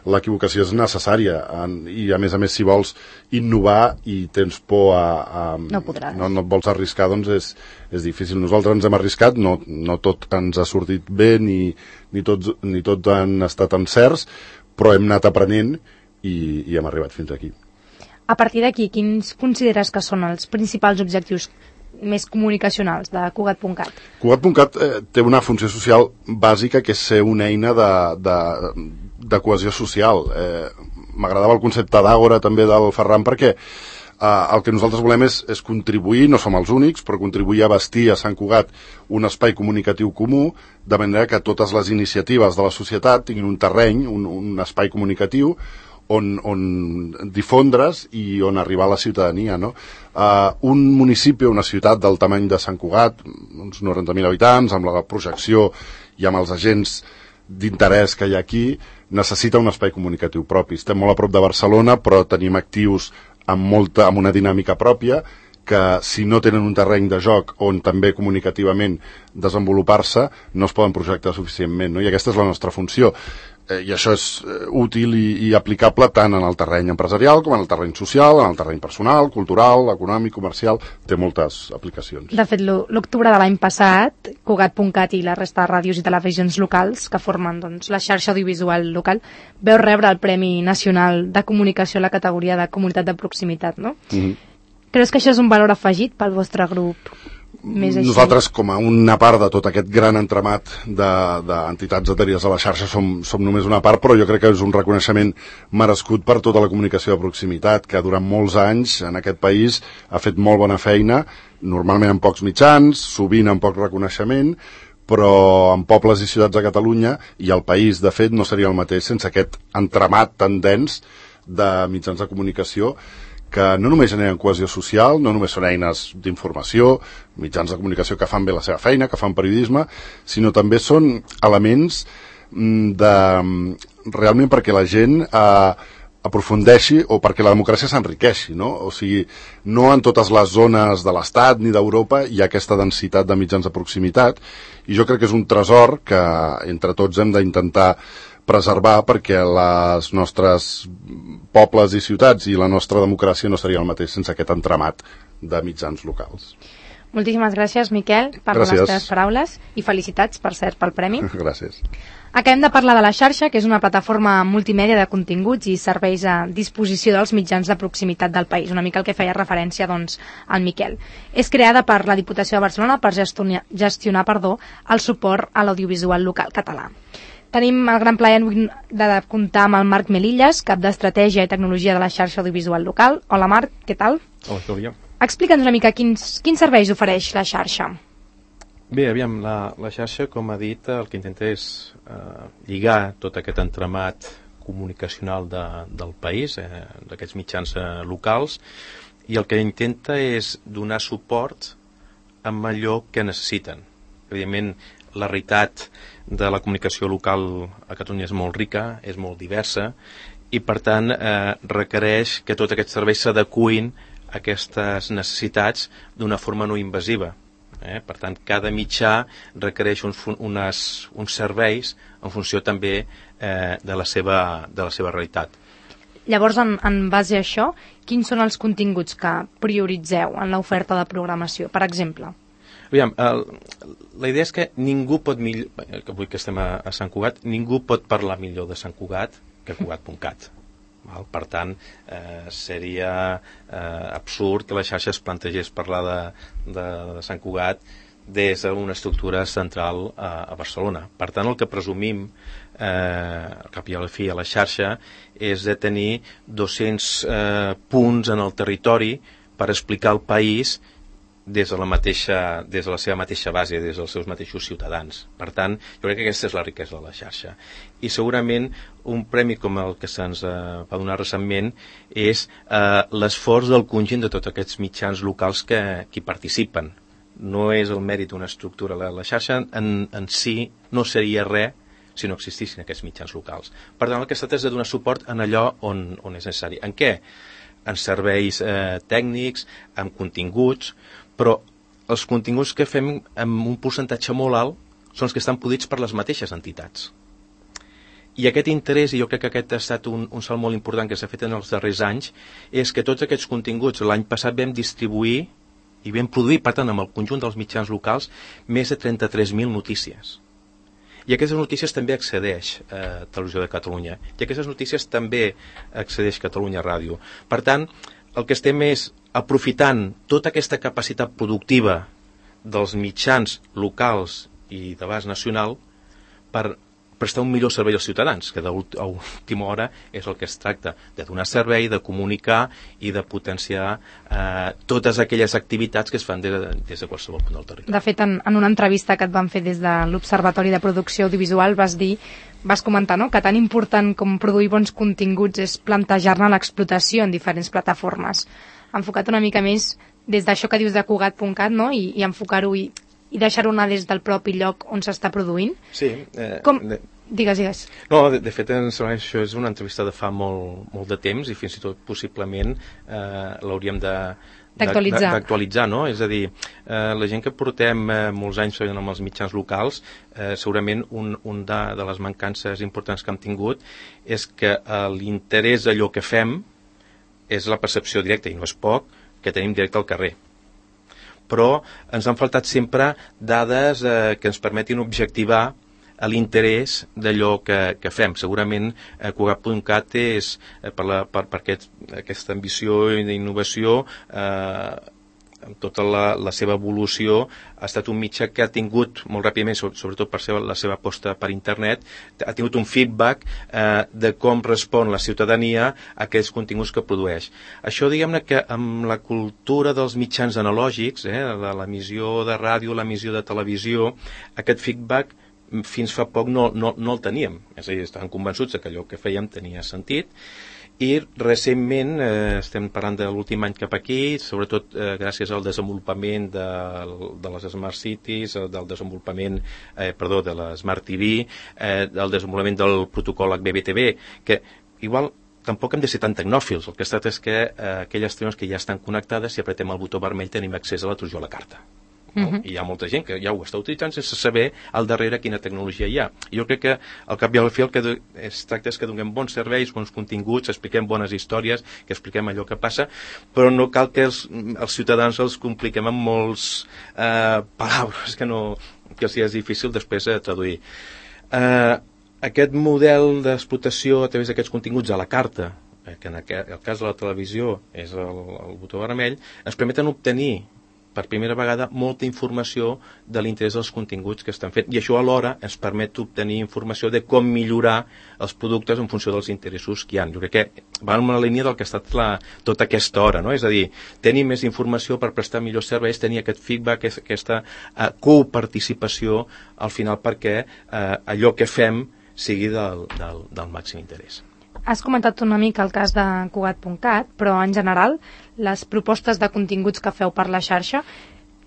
l'equivocació és necessària en, i a més a més si vols innovar i tens por a, a no podràs, no, no et vols arriscar, doncs és, és difícil. Nosaltres ens hem arriscat, no, no tot ens ha sortit bé ni, ni, tots, ni tot han estat encerts, però hem anat aprenent i, i hem arribat fins aquí. A partir d'aquí, quins consideres que són els principals objectius més comunicacionals de Cugat punt cat? Cugat punt cat eh, té una funció social bàsica, que és ser una eina de, de, de cohesió social. Eh, M'agradava el concepte d'àgora també del Ferran, perquè eh, el que nosaltres volem és, és contribuir, no som els únics, però contribuir a bastir a Sant Cugat un espai comunicatiu comú, de manera que totes les iniciatives de la societat tinguin un terreny, un, un espai comunicatiu on, on difondre's i on arribar a la ciutadania, no? Uh, un municipi, una ciutat del tamany de Sant Cugat, uns noranta mil habitants, amb la projecció i amb els agents d'interès que hi ha aquí, necessita un espai comunicatiu propi. Estem molt a prop de Barcelona, però tenim actius amb, molta, amb una dinàmica pròpia, que si no tenen un terreny de joc on també comunicativament desenvolupar-se, no es poden projectar suficientment, no? I aquesta és la nostra funció. Eh, I això és eh, útil i, i aplicable tant en el terreny empresarial com en el terreny social, en el terreny personal, cultural, econòmic, comercial, té moltes aplicacions. De fet, l'octubre de l'any passat, Cugat punt cat i la resta de ràdios i televisions locals que formen doncs, la xarxa audiovisual local veu rebre el Premi Nacional de Comunicació a la categoria de Comunitat de Proximitat, no? Mm-hmm. Creus que això és un valor afegit pel vostre grup? més així. Nosaltres, com a una part de tot aquest gran entramat d'entitats adherides a la xarxa, som, som només una part, però jo crec que és un reconeixement merescut per tota la comunicació de proximitat, que durant molts anys en aquest país ha fet molt bona feina, normalment amb pocs mitjans, sovint amb poc reconeixement, però en pobles i ciutats de Catalunya i el país, de fet, no seria el mateix sense aquest entramat tan dens de mitjans de comunicació que no només generen cohesió social, no només són eines d'informació, mitjans de comunicació que fan bé la seva feina, que fan periodisme, sinó també són elements de, realment perquè la gent eh, aprofundeixi o perquè la democràcia s'enriqueixi, no? O sigui, no en totes les zones de l'Estat ni d'Europa hi ha aquesta densitat de mitjans de proximitat, i jo crec que és un tresor que entre tots hem d'intentar preservar, perquè les nostres pobles i ciutats i la nostra democràcia no seria el mateix sense aquest entramat de mitjans locals. Moltíssimes gràcies, Miquel, per gràcies. les teves paraules i felicitats, per cert, pel premi. Gràcies. Acabem de parlar de la xarxa, que és una plataforma multimèdia de continguts i serveis a disposició dels mitjans de proximitat del país, una mica el que feia referència doncs, al Miquel. És creada per la Diputació de Barcelona per gestionar, gestionar perdó, el suport a l'audiovisual local català. Tenim el gran plaer de comptar amb el Marc Melillas, cap d'Estratègia i Tecnologia de la xarxa audiovisual local. Hola Marc, què tal? Hola, Clàudia. Explica'ns una mica quins, quins serveis ofereix la xarxa. Bé, aviam, la, la xarxa, com ha dit, el que intenta és eh, lligar tot aquest entramat comunicacional de, del país, eh, d'aquests mitjans eh, locals, i el que intenta és donar suport amb allò que necessiten. Evidentment, la realitat de la comunicació local a Catalunya és molt rica, és molt diversa, i per tant eh, requereix que tots aquests serveis s'adeqüin a aquestes necessitats d'una forma no invasiva. Eh? Per tant, cada mitjà requereix uns, unes, uns serveis en funció també eh, de, la seva, de la seva realitat. Llavors, en, en base a això, quins són els continguts que prioritzeu en l'oferta de programació, per exemple? Aviam, el, la idea és que ningú pot millor, que avui que estem a, a Sant Cugat, ningú pot parlar millor de Sant Cugat que Cugat punt cat. Val? Per tant, eh, seria eh, absurd que la xarxa es plantegés parlar de, de, de Sant Cugat des d'una estructura central a, a Barcelona. Per tant, el que presumim eh, al cap i a la fi a la xarxa és de tenir dos-cents eh, punts en el territori per explicar el país des de la mateixa, des de la seva mateixa base, des dels seus mateixos ciutadans. Per tant, jo crec que aquesta és la riquesa de la xarxa. I segurament un premi com el que se'ns eh, va donar recentment és eh, l'esforç del conjunt de tots aquests mitjans locals que, que hi participen. No és el mèrit d'una estructura. La, la xarxa en, en si no seria res si no existissin aquests mitjans locals. Per tant, el que es tracta és de donar suport en allò on, on és necessari. En què? En serveis eh, tècnics, en continguts, però els continguts que fem amb un percentatge molt alt són els que estan podits per les mateixes entitats. I aquest interès, i jo crec que aquest ha estat un, un salt molt important que s'ha fet en els darrers anys, és que tots aquests continguts l'any passat vam distribuir i vam produir, per tant, amb el conjunt dels mitjans locals, més de trenta-tres mil notícies. I aquestes notícies també accedeix a Televisió de Catalunya. I aquestes notícies també accedeix Catalunya Ràdio. Per tant, el que estem és aprofitant tota aquesta capacitat productiva dels mitjans locals i d'abast nacional per prestar un millor servei als ciutadans, que a última hora és el que es tracta, de donar servei, de comunicar i de potenciar eh, totes aquelles activitats que es fan des de, des de qualsevol punt del territori. De fet, en, en una entrevista que et van fer des de l'Observatori de Producció Audiovisual vas dir, vas comentar, no?, que tan important com produir bons continguts és plantejar-ne l'explotació en diferents plataformes. Enfocat una mica més des d'això que dius de Cugat punt cat, no?, i, i enfocar-ho i, i deixar-ho anar des del propi lloc on s'està produint. Sí. Eh, Com... de... Digues, digues. No, de, de fet, això és una entrevista de fa molt, molt de temps i fins i tot possiblement eh, l'hauríem de d'actualitzar. d'actualitzar, no? És a dir, eh, la gent que portem eh, molts anys amb els mitjans locals, eh, segurament un, un de, de les mancances importants que hem tingut és que eh, l'interès d'allò que fem és la percepció directa, i no és poc, que tenim directe al carrer. Però ens han faltat sempre dades eh, que ens permetin objectivar a l'interès d'allò que, que fem. Segurament eh, Cugat punt cat és, eh, per, la, per, per aquest, aquesta ambició d'innovació, eh, amb tota la, la seva evolució, ha estat un mitjà que ha tingut molt ràpidament, sobretot per seva, la seva aposta per internet, ha tingut un feedback eh, de com respon la ciutadania a aquells continguts que produeix. Això, diguem-ne que amb la cultura dels mitjans analògics, eh, de l'emissió de ràdio, l'emissió de televisió, aquest feedback fins fa poc no, no, no el teníem. És a dir, estàvem convençuts que allò que fèiem tenia sentit, i recentment, eh, estem parlant de l'últim any cap aquí, sobretot eh, gràcies al desenvolupament de, de les Smart Cities, del desenvolupament, eh, perdó, de la Smart T V, eh, del desenvolupament del protocol H B B T V, que igual tampoc hem de ser tan tecnòfils. El que ha estat és que eh, aquelles televisions que ja estan connectades, si apretem el botó vermell tenim accés a la trujo a la carta. No? Uh-huh. I hi ha molta gent que ja ho està utilitzant sense saber al darrere quina tecnologia hi ha. Jo crec que al cap i al fi el que es tracta és que donem bons serveis, bons continguts, expliquem bones històries, que expliquem allò que passa, però no cal que els, els ciutadans els compliquem amb molts eh, paraules que, no, que els és difícil després de traduir. Eh, aquest model d'explotació a través d'aquests continguts a la carta, que en el cas de la televisió és el, el botó vermell, ens permeten obtenir per primera vegada molta informació de l'interès dels continguts que estan fent, i això alhora ens permet obtenir informació de com millorar els productes en funció dels interessos que hi ha. Jo crec que va en la línia del que ha estat la, tota aquesta hora, no? És a dir, tenir més informació per prestar millors serveis, tenir aquest feedback, aquesta uh, coparticipació al final perquè uh, allò que fem sigui del, del, del màxim interès. Has comentat una mica el cas de Cugat punt cat, però en general les propostes de continguts que feu per la xarxa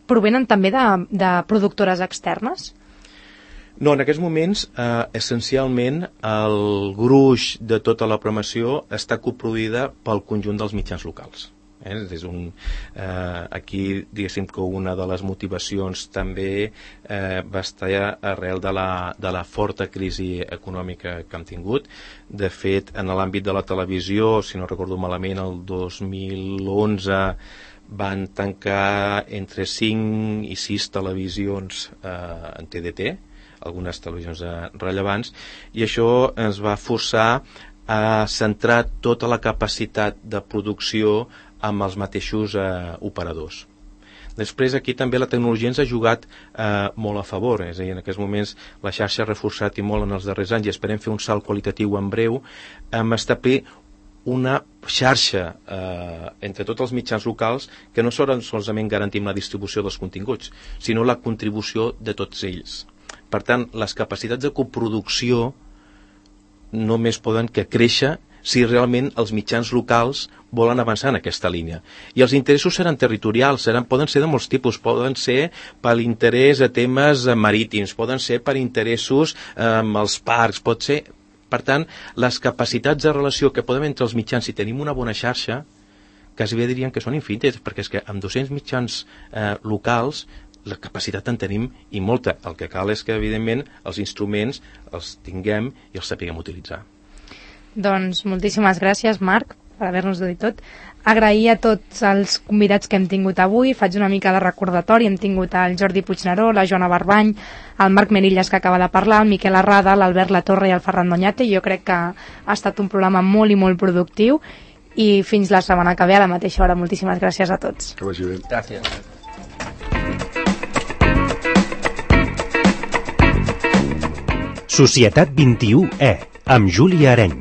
provenen també de, de productores externes? No, en aquests moments, eh, essencialment, el gruix de tota la programació està coproduïda pel conjunt dels mitjans locals. Eh? És un, eh, aquí, diguéssim que una de les motivacions també eh, va estar arrel de la, de la forta crisi econòmica que hem tingut. De fet, en l'àmbit de la televisió, si no recordo malament, el dos mil onze van tancar entre cinc i sis televisions eh, en T D T, algunes televisions eh, rellevants, i això ens va forçar a centrar tota la capacitat de producció amb els mateixos eh, operadors. Després aquí també la tecnologia ens ha jugat eh, molt a favor, és a dir, en aquests moments la xarxa ha reforçat i molt en els darrers anys i esperem fer un salt qualitatiu en breu, amb establir una xarxa eh, entre tots els mitjans locals que no solament garantim la distribució dels continguts, sinó la contribució de tots ells. Per tant, les capacitats de coproducció només poden que créixer si realment els mitjans locals volen avançar en aquesta línia. I els interessos seran territorials, seran, poden ser de molts tipus, poden ser per l'interès a temes marítims, poden ser per interessos amb els parcs, pot ser... Per tant, les capacitats de relació que podem entre els mitjans, si tenim una bona xarxa, quasi bé dirien que són infinites, perquè és que amb dos-cents mitjans eh, locals la capacitat en tenim i molta. El que cal és que, evidentment, els instruments els tinguem i els sapiguem utilitzar. Doncs moltíssimes gràcies, Marc, per haver-nos dit tot. Agrair a tots els convidats que hem tingut avui. Faig una mica de recordatori. Hem tingut el Jordi Puigneró, la Joana Barbany, el Marc Merillas, que acaba de parlar, el Miquel Arrada, l'Albert Latorre i el Ferran Doñate. Jo crec que ha estat un programa molt i molt productiu i fins la setmana que ve a la mateixa hora. Moltíssimes gràcies a tots. Que vagi bé. Gràcies. Societat vint-i-u E, amb Júlia Areny.